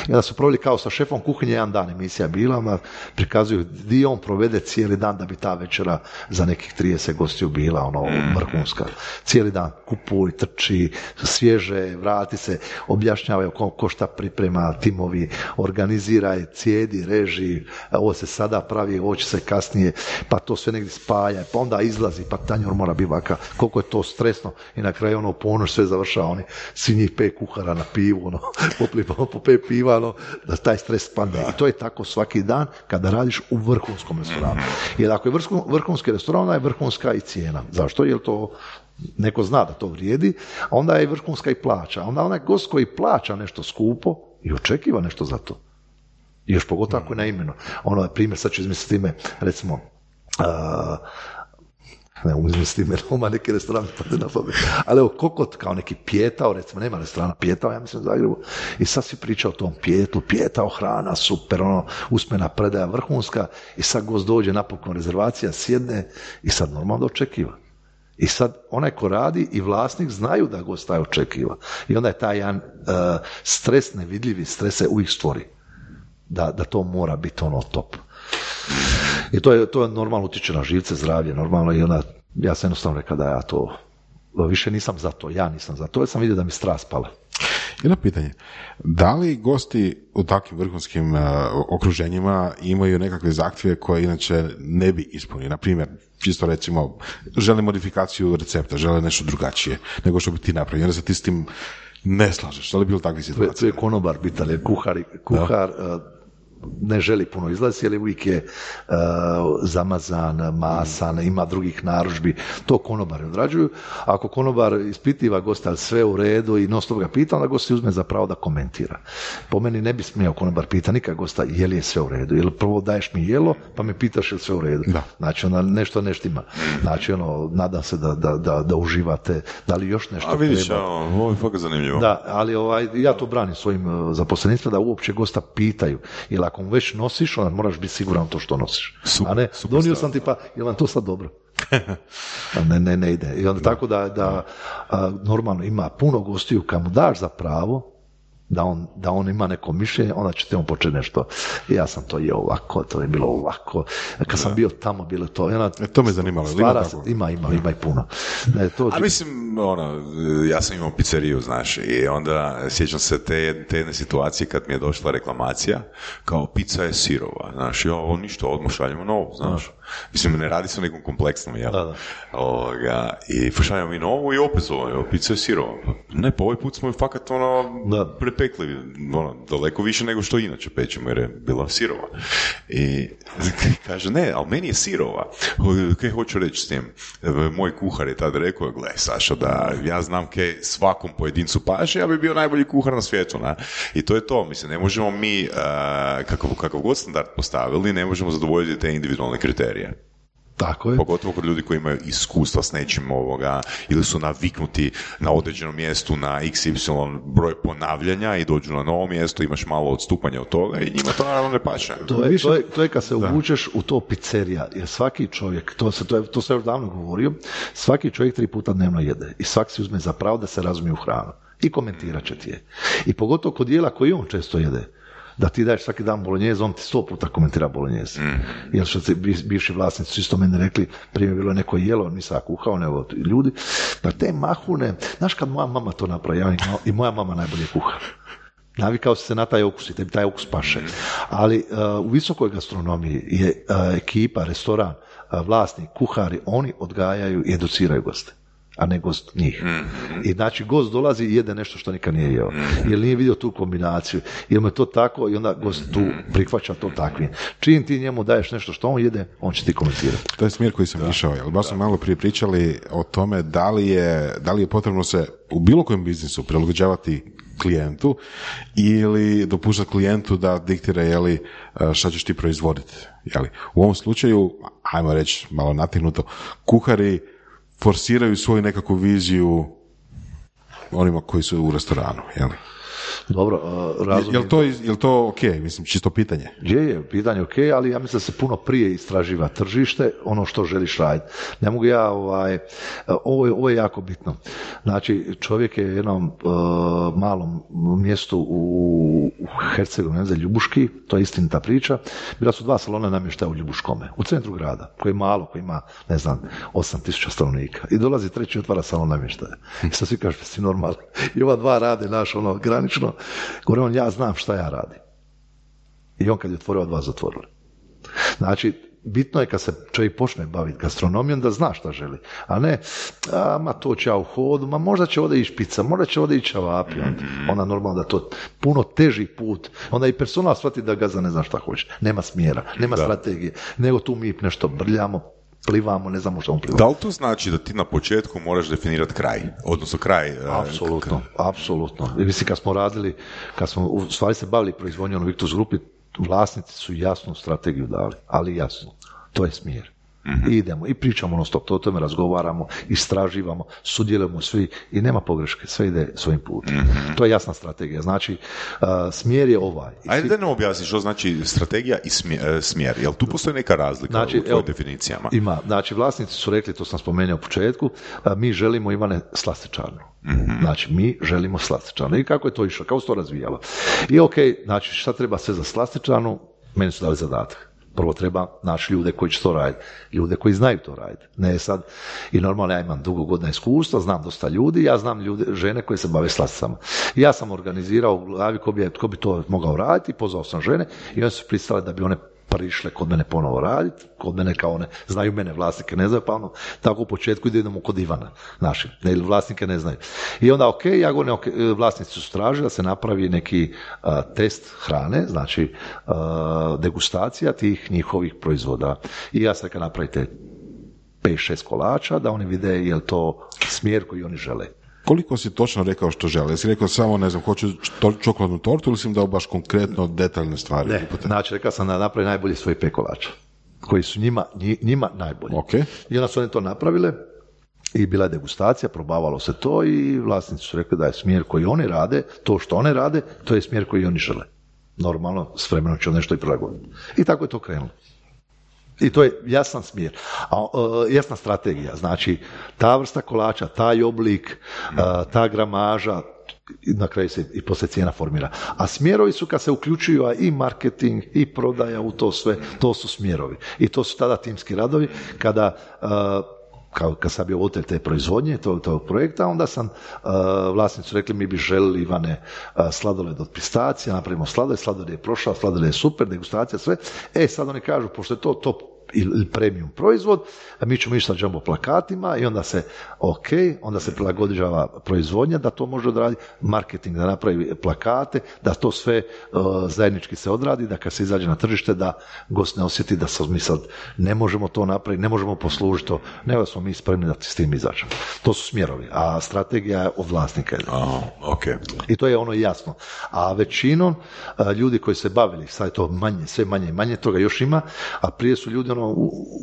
I onda su proveli kao sa šefom kuhinje, jedan dan emisija bila, ona prikazuju gdje on provede cijeli dan da bi ta večera za nekih trideset gostiju bila, ono, vrhunska. Cijeli dan kupuj, trči, svježe, vrati se, objašnjavaju ko, ko šta priprema, timovi, organiziraj, cijedi, reži, ovo se sada pravi, ovo će se kasnije, pa to sve negdje spaja, pa onda izlazi, pa tanjur mora biti vaka, koliko je to stresno, i na kraju ono ponoć sve završava, oni svi njih pet kuhara na pivu, ono, poplipamo po pet piva, ono, da taj stres padne. I to je tako svaki dan kada radiš u vrhunskom restoranu. Jer ako je vrhunski restoran, onda je vrhunska i cijena. Zašto? Jer to neko zna da to vrijedi, a onda je vrhunska i plaća. Onda onaj gost koji plaća nešto skupo i očekiva nešto za to. I još pogotovo ako je na imenu. Ono je primjer, sad ću izmisliti ime, recimo, uh, ne mogu izmisliti ime, ima neki restoran, pa na pamet. Ali evo, Kokot, kao neki Pijetao, recimo, nema restorana Pijetao, ja mislim u Zagrebu, i sad svi priča o tom Pijetlu, Pijetao, hrana, super, ono, usmena predaja vrhunska, i sad gost dođe, napokon rezervacija, sjedne, i sad normalno da očekiva. I sad onaj ko radi i vlasnik znaju da gost taj očekiva. I onda je taj jedan uh, stres, nevidljivi stres se uvijek stvori. Da, da to mora biti ono top. I to je, to je normalno utječe na živce, zdravlje, normalno, i onda ja sam jednostavno rekao da ja to, više nisam za to, ja nisam za to, jer sam vidio da mi strast pala. Jedno pitanje, da li gosti u takvim vrhunskim uh, okruženjima imaju nekakve zahtjeve koje inače ne bi ispunili? Na primjer, čisto recimo, žele modifikaciju recepta, žele nešto drugačije nego što bi ti napravio, onda se ti s tim ne slažeš, da li je bilo takvih situacija? To je konobar bitan, jer kuhar, kuhar uh, ne želi puno izlaziti, jer uvijek je uh, zamazan, masan, ima drugih narudžbi, to konobari odrađuju. Ako konobar ispitiva gosta, ali sve u redu i non stop ga pita, onda gost si uzme za pravo da komentira. Po meni ne bi smio konobar pita nikad gosta je li je sve u redu, jer prvo daješ mi jelo, pa me pitaš je li sve u redu. Da. Znači, onda nešto neštima. Znači, ono, nadam se da, da, da, da uživate, da li još nešto treba. A vidiš, treba. ovo je fakat zanimljivo. Da, ali ovaj, ja to branim svojim zaposlenicima da uopće gosta pitaju, jer ako mu već nosiš, onda moraš biti siguran to što nosiš. Super, a ne, super donio stav. sam ti pa, je vam to sad dobro? ne, ne, ne ide. I onda tako da, da a, normalno ima puno gostiju kad mu daš za pravo, da on, da on ima neko mišljenje, onda ćete mu početi nešto. Ja sam to jeo ovako, to je bilo ovako. Kad sam bio tamo, bilo to. Ona, e, to me zanimalo. Stvara, ima, ima, ima, ima i puno. Ne, to, A mislim, ono, ja sam imao pizzeriju, znaš, i onda sjećam se te, te jedne situacije kad mi je došla reklamacija, kao pizza je sirova, znaš, ja, ovo ništa, odmah šaljemo novu, znaš. Mislim, ne radi se o nekom kompleksnom, jel? Da, da. Ovoga, i šaljemo mi novu i opet zove, evo, pizza je sirova. Ne, pa ovaj put smo ju fakat, ono, da. prepekli, ono, daleko više nego što inače pečemo, jer je bila sirova. I kaže, ne, ali meni je sirova. Kaj hoću reći s tim? Moj kuhar je tad rekao, gle, Saša, da ja znam kaj svakom pojedincu paše, ja bi bio najbolji kuhar na svijetu, na? I to je to, mislim, ne možemo mi, uh, kakav, kakav god standard postavili, ne možemo zadovoljiti te individualne kriterije. Tako je. Pogotovo kod ljudi koji imaju iskustva s nečim ovoga, ili su naviknuti na određenom mjestu na iks ipsilon broj ponavljanja i dođu na novo mjesto, imaš malo odstupanja od toga i njima to naravno ne paše. To je, to je, to je kad se uvučeš u to pizzerija, jer svaki čovjek, to se, to je, to se još davno govorio, svaki čovjek tri puta dnevno jede i svaki se uzme za pravo da se razumije u hranu i komentirat će ti je. I pogotovo kod jela koji on često jede, da ti daješ svaki dan bolonjez, on ti sto puta komentira bolonjez. Mm. Jer što se bivši vlasnici su isto meni rekli, prije je bilo neko jelo, nisam kuhao, nego ljudi, da te mahune, znaš kad moja mama to napravi, ja i moja mama najbolje kuha. Navikao si se na taj okus i tebi taj okus paše. Ali uh, u visokoj gastronomiji je uh, ekipa, restoran, uh, vlasnik, kuhari, oni odgajaju i educiraju goste, a ne gost njih. Mm-hmm. I znači gost dolazi i jede nešto što nikad nije jeo. Mm-hmm. Jer nije vidio tu kombinaciju. Jer mu je to tako i onda gost tu prihvaća to takvim. Čim ti njemu daješ nešto što on jede, on će ti komentirati. To je smjer koji sam da. išao. Jel baš smo malo prije pričali o tome da li je, da li je potrebno se u bilo kojem biznisu prilagođavati klijentu ili dopuštati klijentu da diktira jeli, šta ćeš ti proizvoditi. Jeli. U ovom slučaju, ajmo reći malo nategnuto, kuhari forsiraju svoju nekakvu viziju onima koji su u restoranu, jel? Dobro, uh, razumijem. Jel to, jel to ok? Mislim, čisto pitanje. Je, je, pitanje ok, ali ja mislim da se puno prije istraživa tržište, ono što želiš raditi. Ne mogu ja, ovaj, ovo je, ovo je jako bitno. Znači, čovjek je u jednom uh, malom mjestu u, u Hercegovini, ne znam, Ljubuški, to je istinita priča, bila su dva salona namještaja u Ljubuškome, u centru grada, koji je malo, koji ima, ne znam, osam tisuća stanovnika. I dolazi treći, otvara salon namještaja. I sad svi kažu, si normalni. I ova dva rade, naš, ono, granično. Gore on, ja znam šta ja radim. I on kad je otvorio, od vas zatvorili. Znači, bitno je kad se čovjek počne baviti gastronomijom da zna šta želi. A ne, a, ma to će ja u hodu, ma možda će ovdje ići pizza, možda će ovdje ići čevapi. Onda normalno da to puno teži put. Onda i personal shvati da gazda ne zna šta hoće. Nema smjera, nema da. strategije. Nego tu mi nešto brljamo, plivamo, ne znamo što on plivamo. Da li to znači da ti na početku moraš definirati kraj? Odnosno kraj... Apsolutno, apsolutno. Mislim, kad smo radili, kad smo u stvari se bavili proizvodnjom u Victus Grupi, vlasnici su jasnu strategiju dali, ali jasno. To je smjer. Mm-hmm. I idemo, i pričamo ono stop, to o tome razgovaramo, istraživamo, sudjelujemo svi i nema pogreške, sve ide svojim putem. Mm-hmm. To je jasna strategija. Znači, uh, smjer je ovaj. I Ajde svi... da nam objasniš što znači strategija i smjer. smjer. Jel tu postoji neka razlika znači, u tvojoj definicijama? Ima. Znači, vlasnici su rekli, to sam spomenuo u početku, uh, mi želimo, Ivane, slastičarnu. Mm-hmm. Znači, mi želimo slastičarnu. I kako je to išlo? Kako se to razvijalo? I ok, znači, šta treba sve za slastičarnu? Meni su dali zadatak. Prvo treba naći ljude koji će to raditi, ljude koji znaju to raditi. Ne sad, i normalno ja imam dugo godina iskustva, znam dosta ljudi, ja znam ljude, žene koje se bave slasticama. Ja sam organizirao u glavi ko bi, ko bi to mogao raditi, pozvao sam žene i one su pristale da bi one prišle kod mene ponovo raditi, kod mene kao one, znaju mene, vlasnike ne znaju, pa ono, tako u početku idemo kod Ivana, naši, ne, vlasnike ne znaju. I onda, ok, ja govorim, okay, vlasnici su tražili da se napravi neki uh, test hrane, znači uh, degustacija tih njihovih proizvoda. I ja sad kad napravite pet šest kolača, da oni vide je li to smjer koji oni žele. Koliko si točno rekao što žele? Jesi rekao samo, ne znam, hoću čokoladnu tortu ili si im dao baš konkretno detaljne stvari? Ne, znači rekao sam da napravi najbolji svoj pet kolača, koji su njima, njima najbolji. Okay. I onda su oni to napravile i bila je degustacija, probavalo se to i vlasnici su rekli da je smjer koji oni rade, to što one rade, to je smjer koji oni žele. Normalno, s vremenom će nešto i prilagoditi. I tako je to krenulo. I to je jasan smjer, a, uh, jasna strategija, znači ta vrsta kolača, taj oblik, uh, ta gramaža, i na kraju se i poslije cijena formira. A smjerovi su kad se uključuju i marketing i prodaja u to sve, to su smjerovi. I to su tada timski radovi kada uh, kao kad sam bio voditelj te proizvodnje, tog, tog projekta, onda sam uh, vlasnicu rekli mi bi želili Ivane uh, sladoled od pistacija, napravimo sladoled, sladoled je prošao, sladoled je super, degustacija, sve. E, sad oni kažu, pošto je to top ili premium proizvod, a mi ćemo ići sa jumbo plakatima i onda se, ok, onda se prilagođava proizvodnja da to može odraditi, marketing da napravi plakate, da to sve uh, zajednički se odradi, da kad se izađe na tržište da gost ne osjeti da sad mi sad ne možemo to napraviti, ne možemo poslužiti to, nego da smo mi spremni da s tim izađemo. To su smjerovi, a strategija je od vlasnika. Oh, okay. I to je ono jasno. A većinom uh, ljudi koji se bavili, sad je to manje, sve manje i manje, toga još ima, a prije su ljudi ono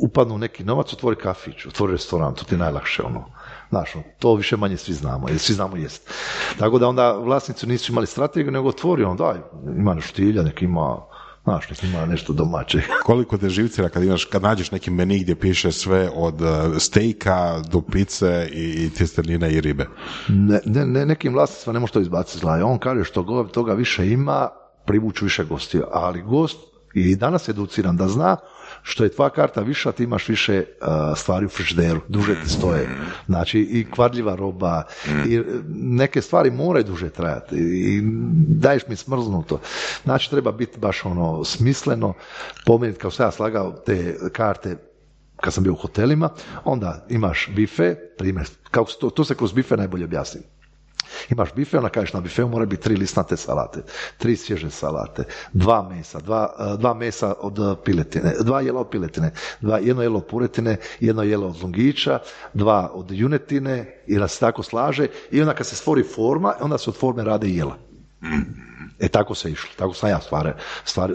upadnu u neki novac, otvori kafić, otvori restoran, to ti je najlakše ono. Znaš, to više manje svi znamo, jer svi znamo jest. Tako da onda vlasnici nisu imali strategiju, nego otvori on, daj, ima nešto štilja, nek ima, znaš, nek ima nešto domaće. Koliko te živcira kad imaš, kad nađeš neki meni gdje piše sve od stejka do pice i tjestenine i ribe? Ne, ne, ne nekim vlasnicima ne može to izbaciti zla. On kaže što toga više ima, privuću više gostiju, ali gost i danas educiran da zna što je tvoja karta viša, ti imaš više uh, stvari u frižideru, duže ti stoje. Znači i kvarljiva roba, i neke stvari moraju duže trajati i daješ mi smrznuto. Znači treba biti baš ono smisleno, pomeniti kao sam ja slagao te karte kad sam bio u hotelima, onda imaš bife, primjer, kako to, to se kroz bife najbolje objasni. Imaš bife, onda kažeš na bifeu mora biti tri listnate salate, tri svježe salate, dva mesa, dva, dva mesa od piletine, dva jela od piletine, dva, jedno jelo od puretine, jedno jelo od lungića, dva od junetine i da se tako slaže i onda kad se stvori forma, onda se od forme rade jela. E tako se išlo, tako sam ja stvari, stvari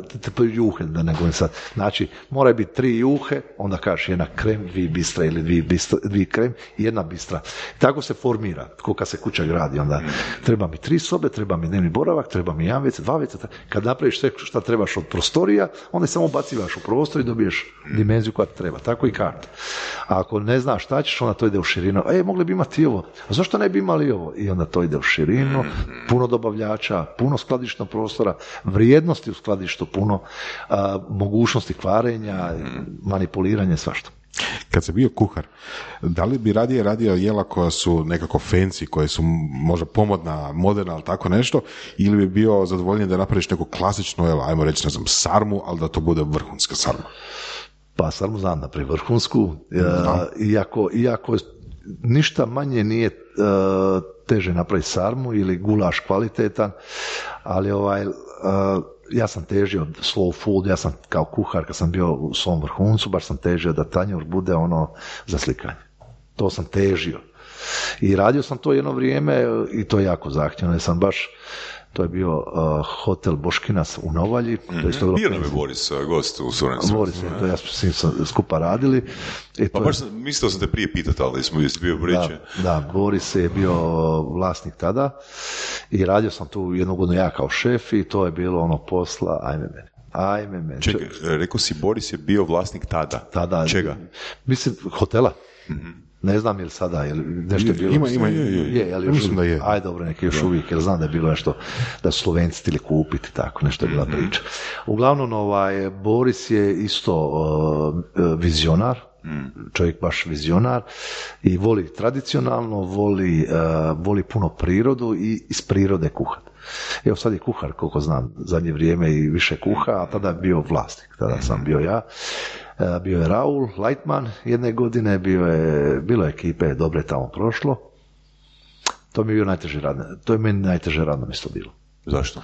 juhe, da ne govorim sad. Znači, mora biti tri juhe, onda kažeš jedna krem, dvije bistra ili dvije, bistra, dvije krem i jedna bistra. Tako se formira, ko kad se kuća gradi, onda treba mi tri sobe, treba mi dnevni boravak, treba mi jedan vece, dva vece. Kad napraviš sve što trebaš od prostorija, onda samo bacivaš u prostor i dobiješ dimenziju koja treba. Tako i karta. A ako ne znaš šta ćeš, onda to ide u širinu. E, mogli bi imati ovo. A zašto ne bi imali ovo? I onda to ide u širinu, puno dobavljača, puno skladišta prostora, vrijednosti u skladištu puno, a, mogućnosti kvarenja, manipuliranje, svašta. Kad si bio kuhar, da li bi radije radio jela koja su nekako fancy, koje su možda pomodna, moderna, ali tako nešto, ili bi bio zadovoljen da napraviš neko klasično jelo, ajmo reći, ne znam, sarmu, ali da to bude vrhunska sarma? Pa sarmu znam napraviti vrhunsku, da. iako, iako ništa manje nije uh, teže napraviti sarmu ili gulaš kvalitetan, ali ovaj, uh, ja sam težio slow food, ja sam kao kuhar kad sam bio u svom vrhuncu, baš sam težio da tanjur bude ono za slikanje. To sam težio. I radio sam to jedno vrijeme i to je jako zahtjevno, jer sam baš, to je bio uh, hotel Boškinac u Novalji. Mm-hmm. To je bilo bio nam je Boris, gost u Sorencu. Boris, to ja s njim sam skupa radili. I pa baš je... mislio sam te prije pitati, ali smo jesi bio priče. Da, da, Boris je bio vlasnik tada i radio sam tu jednu godinu ja kao šef i to je bilo ono posla, ajme mene. Ajme mene. Čekaj, rekao si Boris je bio vlasnik tada. Tada. Čega? Mislim, hotela. Mm-hmm. Ne znam je li sada, je li nešto je bilo. Ima, ima, je, je, je, je, mislim da je. Aj, dobro, neki još uvijek, jer znam da je bilo nešto, da su Slovenci htjeli kupiti, tako, nešto je bila priča. Uglavnom, ovaj, Boris je isto uh, vizionar, čovjek baš vizionar i voli tradicionalno, voli, uh, voli puno prirodu i iz prirode kuhat. Evo sad je kuhar, koliko znam, zadnje vrijeme i više kuha, a tada je bio vlasnik, tada sam bio ja. Bio je Raul Lightman jedne godine, bio je, bilo je ekipe dobre tamo prošlo. To mi je bio najteže radno, to je meni najteže radno mjesto bilo. Zašto?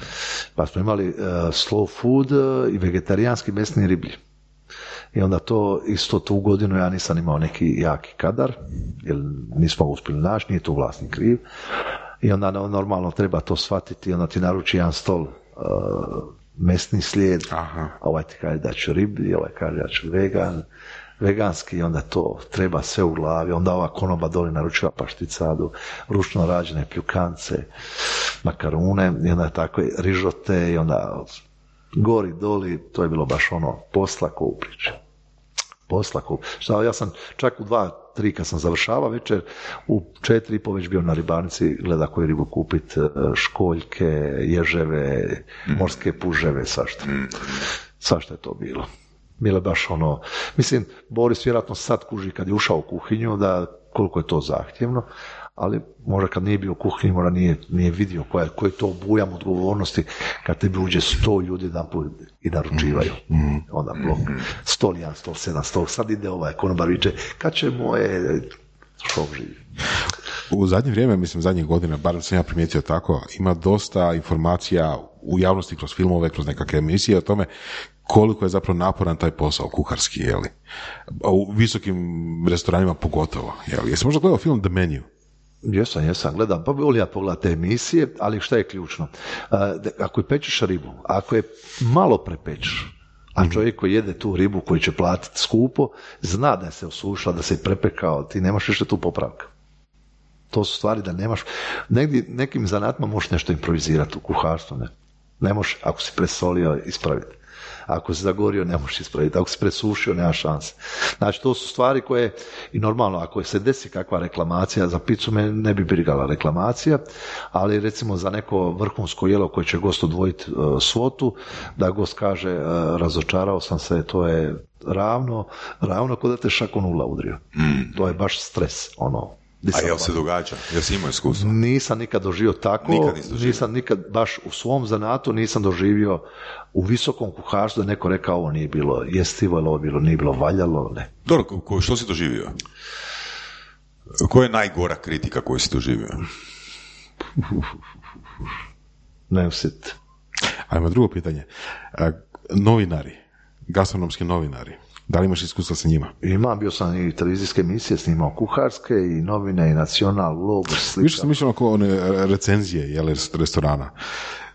Pa smo imali uh, slow food uh, i vegetarijanski mesni riblji. I onda to, isto tu godinu ja nisam imao neki jaki kadar, jer nismo uspjeli naći, nije tu vlasnik kriv. I onda normalno treba to shvatiti, onda ti naruči jedan stol uh, mesni slijed, aha. Ovaj ti kaže da ću riblji, ovaj kaže da ću vegan, veganski, onda to treba sve u glavi, onda ova konoba doli naručiva pašticadu, ručno rađene pljukance, makarune, i onda tako rižote, i onda gori, doli, to je bilo baš ono posla ko u priči. Posla ko, šta, ja sam čak u dva tri kad sam završavao večer, u četiri i po već bio na ribarnici, gleda koju ribu kupit, školjke, ježeve, morske puževe, svašta. Svašta je to bilo. Bilo je baš ono, mislim, Boris vjerojatno sad kuži kad je ušao u kuhinju, da koliko je to zahtjevno, ali možda kad nije bio u kuhinji, možda nije, nije vidio koja, koji je to obujam odgovornosti kad tebi uđe sto ljudi jedanput i naručivaju. Mm. Onda blok, stol jedan, stol sedam, stol, sad ide ovaj konobar viče, kad će moje šok živi. U zadnje vrijeme, mislim zadnjih godina, barem sam ja primijetio tako, ima dosta informacija u javnosti kroz filmove, kroz nekakve emisije o tome koliko je zapravo naporan taj posao kuharski, jeli? U visokim restoranima pogotovo, jeli? Jesi možda gledao film The Menu? Jesam, jesam, gledam, pa volim ja pogledati te emisije, ali šta je ključno? Ako je pečeš ribu, ako je malo prepečeš, a čovjek koji jede tu ribu koji će platiti skupo, zna da je se osušila, da se je prepekao, ti nemaš više tu popravka. To su stvari da nemaš, negdje, nekim zanatima možeš nešto improvizirati u kuharstvu, ne? Ne možeš, ako si presolio, ispraviti. Ako si zagorio, ne možeš ispraviti. Ako si presušio, nema šanse. Znači, to su stvari koje, i normalno, ako se desi kakva reklamacija, za picu me ne bi brigala reklamacija, ali recimo za neko vrhunsko jelo koje će gost odvojiti uh, svotu, da gost kaže, uh, razočarao sam se, to je ravno, ravno kod da te šakom ula udrio. Mm. To je baš stres, ono. A jel se događa? Jel si imao iskustvo? Nisam nikad doživio tako, nikad doživio. Nisam nikad, baš u svom zanatu nisam doživio u visokom kuharstvu da neko rekao ovo nije bilo jestivo, ili ovo bilo, nije bilo valjalo, ne. Dobro, ko, što si doživio? Koja je najgora kritika koju si doživio? Ne osjet. Ajmo drugo pitanje. Novinari, gastronomski novinari, da li imaš iskustva sa njima? Imam, bio sam i televizijske emisije snimao kuharske i novine i Nacional, Globus, slika. Više sam mišljeno oko one recenzije jeli, restorana.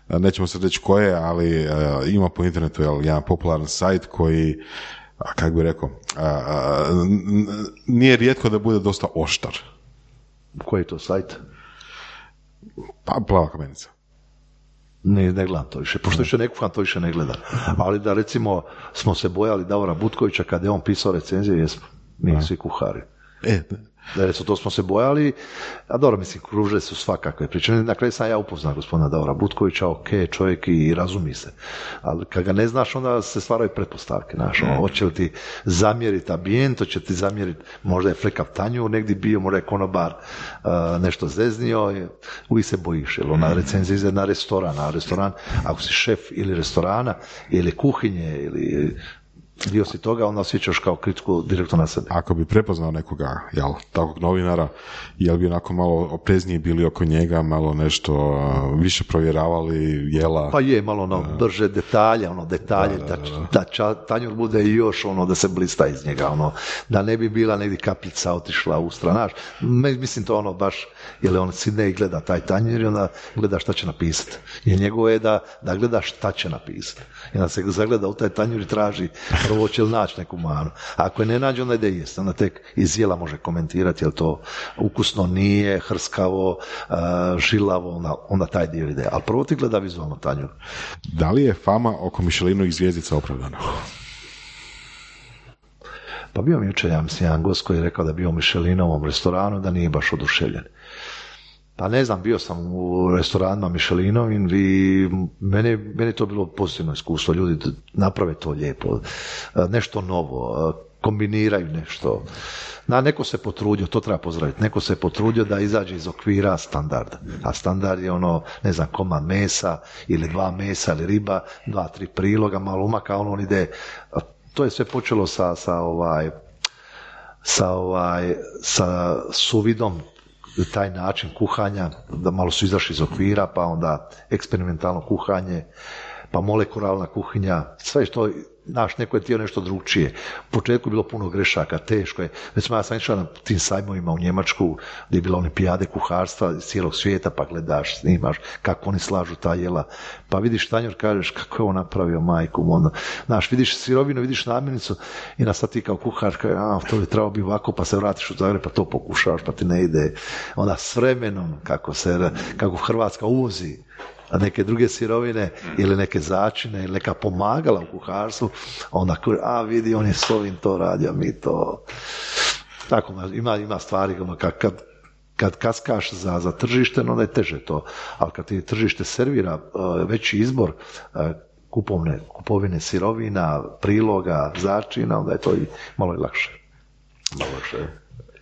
Nećemo se reći koje, ali uh, ima po internetu jel, jedan popularan sajt koji, a, kako bi rekao, a, a, n- nije rijetko da bude dosta oštar. Koji je to sajt? Pa, Plava kamenica. Ne, ne gledam to više, pošto više ne kuham, to više ne gledam. Ali da recimo smo se bojali Davora Butkovića kad je on pisao recenzije, jesmo, mi svi kuhari. E, Da, recimo, to smo se bojali, a dobro, mislim, kruže su svakakve priče. Na kraju sam ja upoznao gospodina Davora Butkovića, ok, čovjek i razumi se. Ali kad ga ne znaš, onda se stvaraju pretpostavke, znaš, ono, hoće li ti zamjeriti ambijent, hoće ti zamjeriti, možda je flekav tanjur negdje bio, možda je konobar uh, nešto zeznio, uvijek se bojiš, jer ona recenzija ide na restoran, a restoran, ako si šef ili restorana, ili kuhinje, ili dio si toga, onda osjećaš kao kritiku direktno na sebe. Ako bi prepoznao nekoga, jel, takvog novinara, jel bi onako malo oprezniji bili oko njega, malo nešto uh, više provjeravali jela? Pa je, malo ono, brže detalje, ono, detalje, da, da, da, da. da ča, tanjur bude još ono, da se blista iz njega, ono, da ne bi bila negdje kapljica otišla u stranaš. Mislim to ono baš, jer on sidne i gleda taj tanjur i onda gleda šta će napisati. Jer njegovo je da, da gleda šta će napisati. I onda se zagleda u taj tanjur i traži prvo će li naći neku manu. A ako je ne nađe, onda ide jest. Onda tek iz jela može komentirati, jel to ukusno nije, hrskavo, uh, žilavo, onda, onda taj dio ide. Ali prvo ti gleda vizualno tanjur. Da li je fama oko Michelinovih zvjezdica opravdana? Pa bio mi jučer, ja mislim, jedan gost koji je rekao da je bio u Michelinovom restoranu, da nije baš oduševljen. Pa ne znam, bio sam u restoranima Michelinovim i meni, meni to bilo pozitivno iskustvo. Ljudi naprave to lijepo, nešto novo, kombiniraju nešto. Na, neko se potrudio, to treba pozdraviti, neko se potrudio da izađe iz okvira standarda. A standard je ono, ne znam, komad mesa ili dva mesa ili riba, dva, tri priloga, malo umaka, ono on ide. To je sve počelo sa, sa ovaj, sa ovaj, sa suvidom, taj način kuhanja, da malo su izašli iz okvira, pa onda eksperimentalno kuhanje, pa molekularna kuhinja, sve što, naš, neko je htio nešto drugčije. U početku je bilo puno grešaka, teško je. Recimo, ja sam išao na tim sajmovima u Njemačku, gdje je bila olimpijade kuharstva iz cijelog svijeta, pa gledaš, snimaš kako oni slažu ta jela. Pa vidiš tanjur, kažeš kako je on napravio, majku, onda, znaš, vidiš sirovinu, vidiš namirnicu i na sad ti kao kuhar, kaže, a, to bi trebalo bi ovako, pa se vratiš u Zagreb, pa to pokušavaš, pa ti ne ide. Onda s vremenom, kako se, kako Hrvatska uvozi a neke druge sirovine ili neke začine ili neka pomagala u kuharstvu, onda a vidi on je s ovim to radio, mi to Tako, ima, ima stvari, ono, kad, kad, kad kaskaš za, za tržište, onda je teže to, ali kad ti tržište servira uh, veći izbor uh, kupovne, kupovine sirovina, priloga, začina, onda je to i malo i lakše. Malo lakše.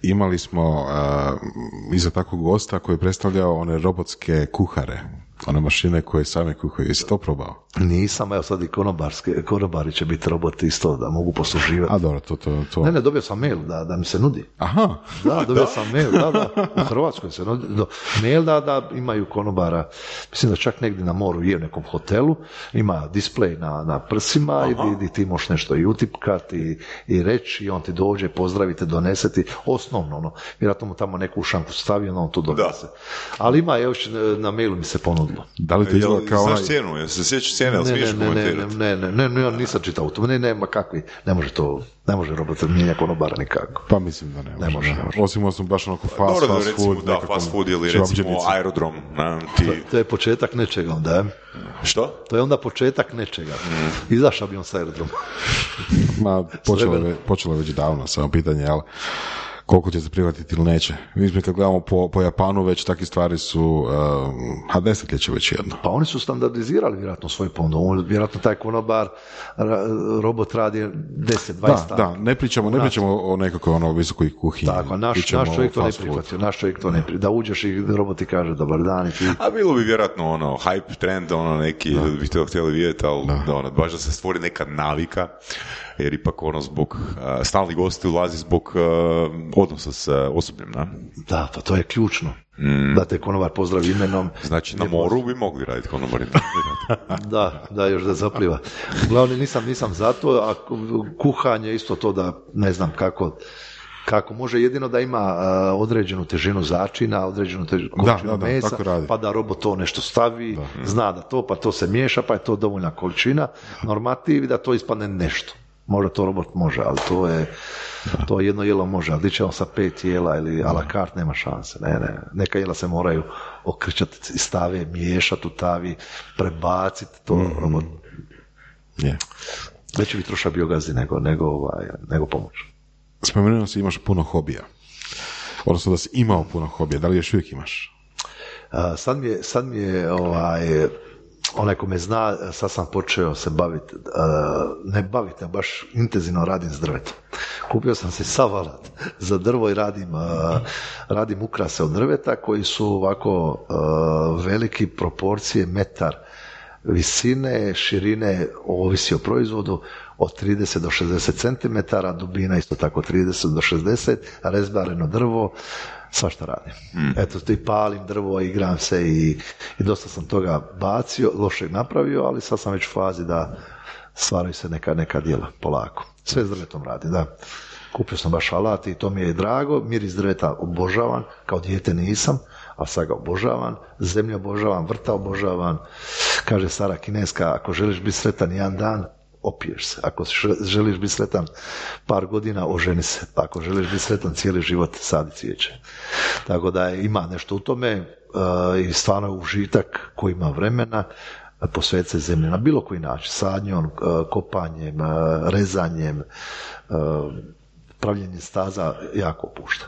Imali smo uh, iza takvog gosta koji je predstavljao one robotske kuhare, one mašine koje same kuhaju. Jesi to probao? Nisam, evo sad i konobarske, konobari će biti roboti isto da mogu posluživati. A dobro, to, to, to. Ne, ne, dobio sam mail da, da mi se nudi. Aha. Da, dobio sam mail, da, da, u Hrvatskoj se nudi, do, mail da, da imaju konobara, mislim da čak negdje na moru je u nekom hotelu, ima display na, na prsima i di, di ti možeš nešto i utipkati i, i reći i on ti dođe, pozdravite, donese ti, osnovno, ono, vjerojatno mu tamo neku šanku stavi, ono on tu donese. Ali ima, evo na mailu mi se ponudilo. Da li to izgleda kao onaj... Znaš cijenu, jel se sjećaš cijene, ali Ne, smiješ ne, ne, ne, komentirati? ne, ne, ne, ne, ja nisam čitao to, ne, nema kakvi, ne može to, ne može robot mijenja konobara nikako. Pa mislim da ne može. Ne može, ne može. Osim osim baš onako fast, Dobro, da, fast recimo, food. da, nekakvom fast food ili recimo čevapdžinici. aerodrom. Na, ti... To, to je početak nečega onda, je? Što? To je onda početak nečega. Izašao bi on sa aerodroma. Ma, počelo je, počelo je već davno, samo pitanje, ali koliko će se prihvatiti ili neće. Mi kad gledamo po, po Japanu, već takve stvari su, um, a desetljeće već jedno. Pa oni su standardizirali vjerojatno svoj ponudu. Vjerojatno taj konobar, ra- robot radi deset dvadeset Da, da, ne pričamo, ne pričamo o nekakvoj ono visokoj kuhinji. Tako, naš, Pričamo naš čovjek o to ne fast food. prihvatio, naš čovjek to ne prihvatio. Da uđeš i robot ti kaže dobar dan i ti... A bilo bi vjerojatno ono, hype trend, ono neki, da bi to htjeli vidjeti, ali da. Da, ono, baš da se stvori neka navika, jer ipak ono zbog, uh, stalni gosti ulazi zbog uh, odnosa s uh, osobljem, da? Da, pa to je ključno. Mm. Da te konobar pozdravi imenom. Znači, na moru bi mogli raditi konobarima. Da, da, još da zapliva. Uglavnom nisam, nisam za to, a kuhanje isto to da ne znam kako, kako može jedino da ima uh, određenu težinu začina, određenu težinu količinu da, da, mesa, tako radi. pa da robot to nešto stavi, da. Zna da to, pa to se miješa, pa je to dovoljna količina, normativ da to ispadne nešto. Možda to robot može, ali to je to jedno jelo može, ali će on sa pet jela ili a la carte nema šanse. Ne, ne. Neka jela se moraju okrčati iz stave, miješati u tavi, prebaciti to. Mm-hmm. Robot. Yeah. Veći bi troša biogazi nego, nego, ovaj, nego pomoć. Spomenuo si imaš puno hobija. Odnosno da si imao puno hobija. Da li još uvijek imaš? A, sad mi je, sad mi je ovaj, onaj ko me zna, sad sam počeo se baviti, ne baviti, a baš intenzivno radim s drvetom. Kupio sam se sav alat za drvo i radim, radim ukrase od drveta koji su ovako veliki proporcije, metar visine, širine, ovisi o proizvodu, od trideset do šezdeset centimetara, dubina isto tako trideset do šezdeset, rezbareno drvo, svašta radim. Mm. Eto, ti palim drvo, igram se i, i dosta sam toga bacio, lošeg napravio, ali sad sam već u fazi da stvaraju se neka, neka djela, polako. Sve s drvetom radim, da. Kupio sam baš alat i to mi je drago, miris drveta obožavam, kao dijete nisam, a sad ga obožavam, zemlju obožavam, vrta obožavam, kaže stara Kineska, ako želiš biti sretan jedan dan, opiješ se. Ako želiš biti sretan par godina, oženi se. Ako želiš biti sretan cijeli život, sadi cvijeće. Tako da je, ima nešto u tome uh, i stvarno užitak koji ima vremena posvetiti se zemlji na bilo koji način. Sadnjom, uh, kopanjem, uh, rezanjem, uh, pravljenjem staza jako opušta.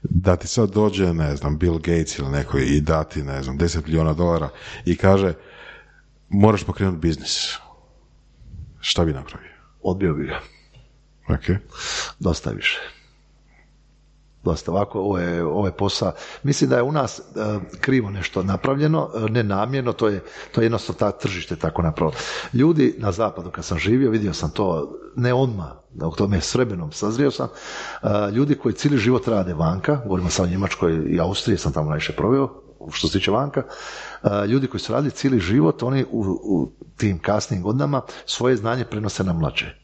Da ti sad dođe, ne znam, Bill Gates ili neko i dati, ne znam, deset milijuna dolara i kaže moraš pokrenuti biznis. Šta bi napravio? Odbio bi ga. Ok. Dosta više. Dosta ovako, ovo je, ovo je posao. Mislim da je u nas uh, krivo nešto napravljeno, uh, nenamjerno, to je, to je jednostavno ta tržište tako napravilo. Ljudi na zapadu kad sam živio, vidio sam to, ne odmah, da u tome s vremenom sazrio sam, uh, ljudi koji cijeli život rade vanka, govorimo sad o Njemačkoj i Austriji, sam tamo najviše proveo, što se tiče vanka, uh, ljudi koji su radili cijeli život, oni u, u tim kasnim godinama svoje znanje prenose na mlađe.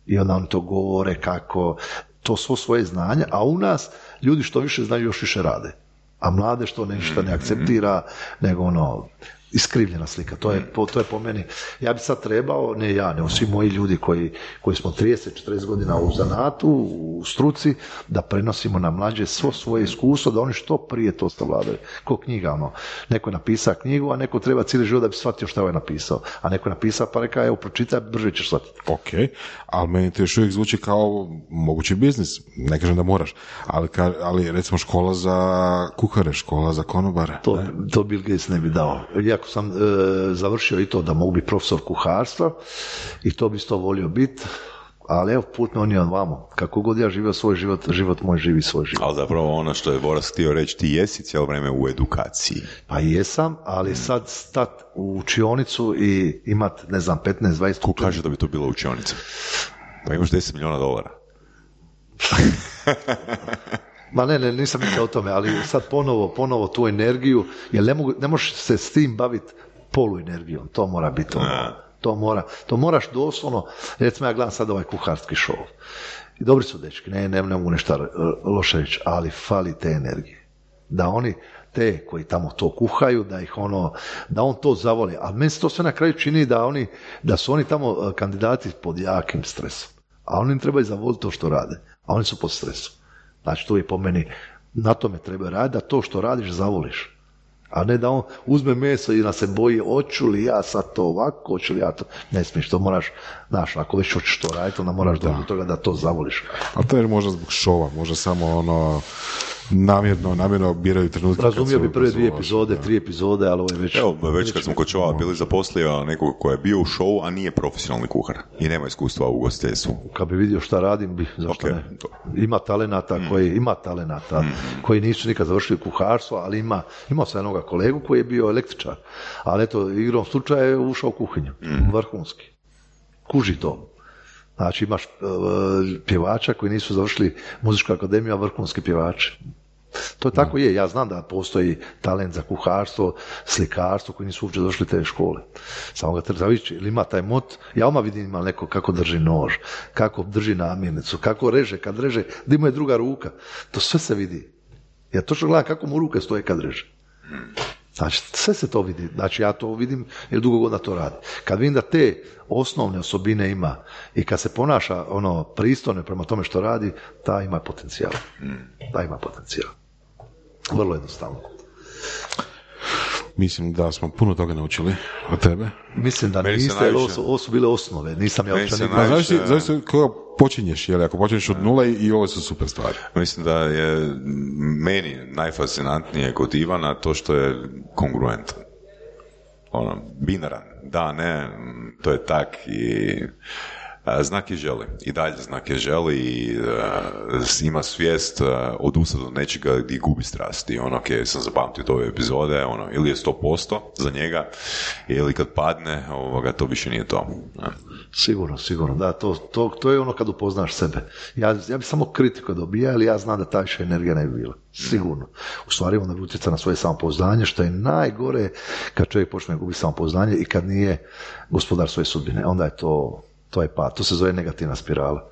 I onda oni to govore kako, to svo svoje znanje, a u nas ljudi što više znaju još više rade. A mlade što ništa ne akceptira, nego ono, iskrivljena slika. To je, po, to je po meni, ja bi sad trebao, ne ja, nego svi moji ljudi koji, koji smo trideset četrdeset godina u zanatu, u struci, da prenosimo na mlađe svo svoje iskustvo, da oni što prije to savladaju. Ko knjiga, ono, neko je napisao knjigu, a neko treba cijeli život da bi shvatio što je napisao. A neko je napisao pa reka, evo, pročitaj, brže ćeš shvatiti. Ok, ali meni to još uvijek zvuči kao mogući biznis. Ne kažem da moraš, ali, ka, ali recimo škola za kuhare, škola za konobare. To, to Bill Gates ne bi dao. Iako sam e, završio i to da mogu biti profesor kuharstva i to bi isto volio biti, ali evo put me on je vamo. Kako god ja živio svoj život, život moj živi svoj život. Ali zapravo ono što je Boras htio reći, ti jesi cijelo vrijeme u edukaciji. Pa jesam, ali sad stat u učionicu i imat, ne znam, petnaest dvadeset... Ko kaže da bi to bila učionica? Pa imaš deset milijuna dolara. Ma ne, ne, nisam mislio o tome, ali sad ponovo, ponovo tu energiju, jer ne, mogu, ne možeš se s tim baviti poluenergijom, to mora biti ono, to mora, to moraš doslovno, recimo ja gledam sad ovaj kuharski show, i dobri su dečki, ne, ne, ne mogu nešto loše reći, ali fali te energije, da oni, te koji tamo to kuhaju, da ih ono, da on to zavoli, a meni se to sve na kraju čini da oni, da su oni tamo kandidati pod jakim stresom, a oni im trebaju zavoliti to što rade, a oni su pod stresom. Znači, to je po meni, na tome treba raditi, da to što radiš zavoliš. A ne da on uzme meso i da se boji, hoću li ja sad to ovako, hoću li ja to... Ne smiješ, to moraš, znaš, ako već hoćeš to raditi, onda moraš doći do toga da to zavoliš. A to je možda zbog šova, možda samo ono... namjerno, namjerno biraju trenutke. Razumio bi prve dvije epizode, da. tri epizode, ali ovo je već... Evo, već kad smo kod šova bili zaposlio nekog ko je bio u šovu, a nije profesionalni kuhar i nema iskustva u ugostiteljstvu. Kad bi vidio šta radim, bi, zašto okay. ne? Ima talenata mm. koji, ima talenata mm. koji nisu nikad završili kuharstvo, ali ima, imao sam jednoga kolegu koji je bio električar, ali eto, igrom slučaja je ušao u kuhinju, mm. vrhunski. Kuži to. Znači imaš uh, pjevača koji nisu završili muzičku akademiju, a vrhunski pjevači. To je tako je, ja znam da postoji talent za kuharstvo, slikarstvo koji nisu uopće došli te škole. Samo ga treba vidjeti, ili ima taj mot, ja odmah vidim ima neko kako drži nož, kako drži namirnicu, kako reže, kad reže, da mu je druga ruka. To sve se vidi. Ja točno gledam kako mu ruke stoje kad reže. Znači, sve se to vidi. Znači, ja to vidim jer dugo godina to radi. Kad vidim da te osnovne osobine ima i kad se ponaša ono pristojno prema tome što radi, ta ima potencijal. Ta ima potencijal. Vrlo jednostavno. Mislim da smo puno toga naučili od tebe. Mislim da niste, jer ovo su, ovo su bile osnove. Nisam ja uopće nikada. Najviše... Znaš si koga počinješ, jer ako počinješ od nule i ovo su super stvari. Mislim da je meni najfascinantnije kod Ivana to što je kongruentan. Ono, binaran. Da, ne, to je tak i... Znak je želi. I dalje znak je želi i uh, ima svijest uh, odustati od nečega gdje gubi strast. I ono, ok, sam zapamtio ove epizode, ono, ili je sto posto za njega, ili kad padne, ovoga, to više nije to. Ja. Sigurno, sigurno, da, to, to, to je ono kad upoznaš sebe. Ja, ja bi samo kritiku dobija, ali ja znam da ta više energija ne bi bila. Sigurno. U stvari onda bi utjecao na svoje samopouzdanje, što je najgore kad čovjek počne gubiti samopouzdanje i kad nije gospodar svoje sudbine. Onda je to... To je pa, to se zove negativna spirala.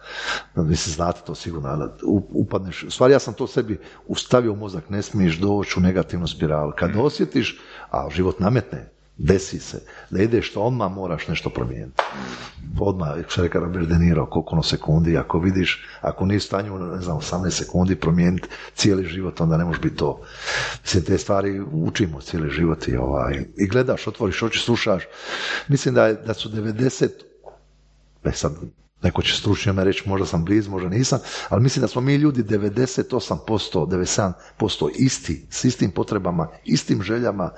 Mislim, znate to sigurno, upadneš, u stvari ja sam to sebi ustavio u mozak, ne smiješ doći u negativnu spiralu. Kad mm. osjetiš, a život nametne, desi se, da ideš to, odmah moraš nešto promijeniti. Odmah, što reka Robert De Niro, koliko ono sekundi, ako vidiš, ako nisi u stanju, ne znam, osamnaest sekundi promijeniti cijeli život, onda ne može biti to. Mislim, te stvari učimo cijeli život i, ovaj, i gledaš, otvoriš oči, slušaš. Mislim da, da su devedeset E sad, neko će stručno me reći, možda sam blizu, možda nisam, ali mislim da smo mi ljudi devedeset osam posto, devedeset sedam posto isti, s istim potrebama, istim željama,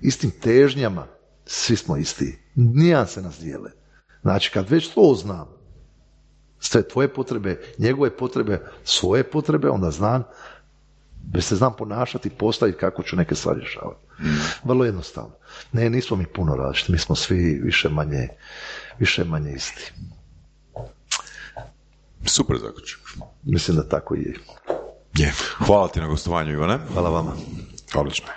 istim težnjama, svi smo isti. Nijanse nas dijele. Znači, kad već to znam, sve tvoje potrebe, njegove potrebe, svoje potrebe, onda znam, već se znam ponašati, postaviti kako ću neke stvari rješavati. Vrlo jednostavno. Ne, nismo mi puno različiti, mi smo svi više manje više manje isti. Super zaključak. Mislim da tako i je. je. Hvala ti na gostovanju, Ivane. Hvala vama. Odlično.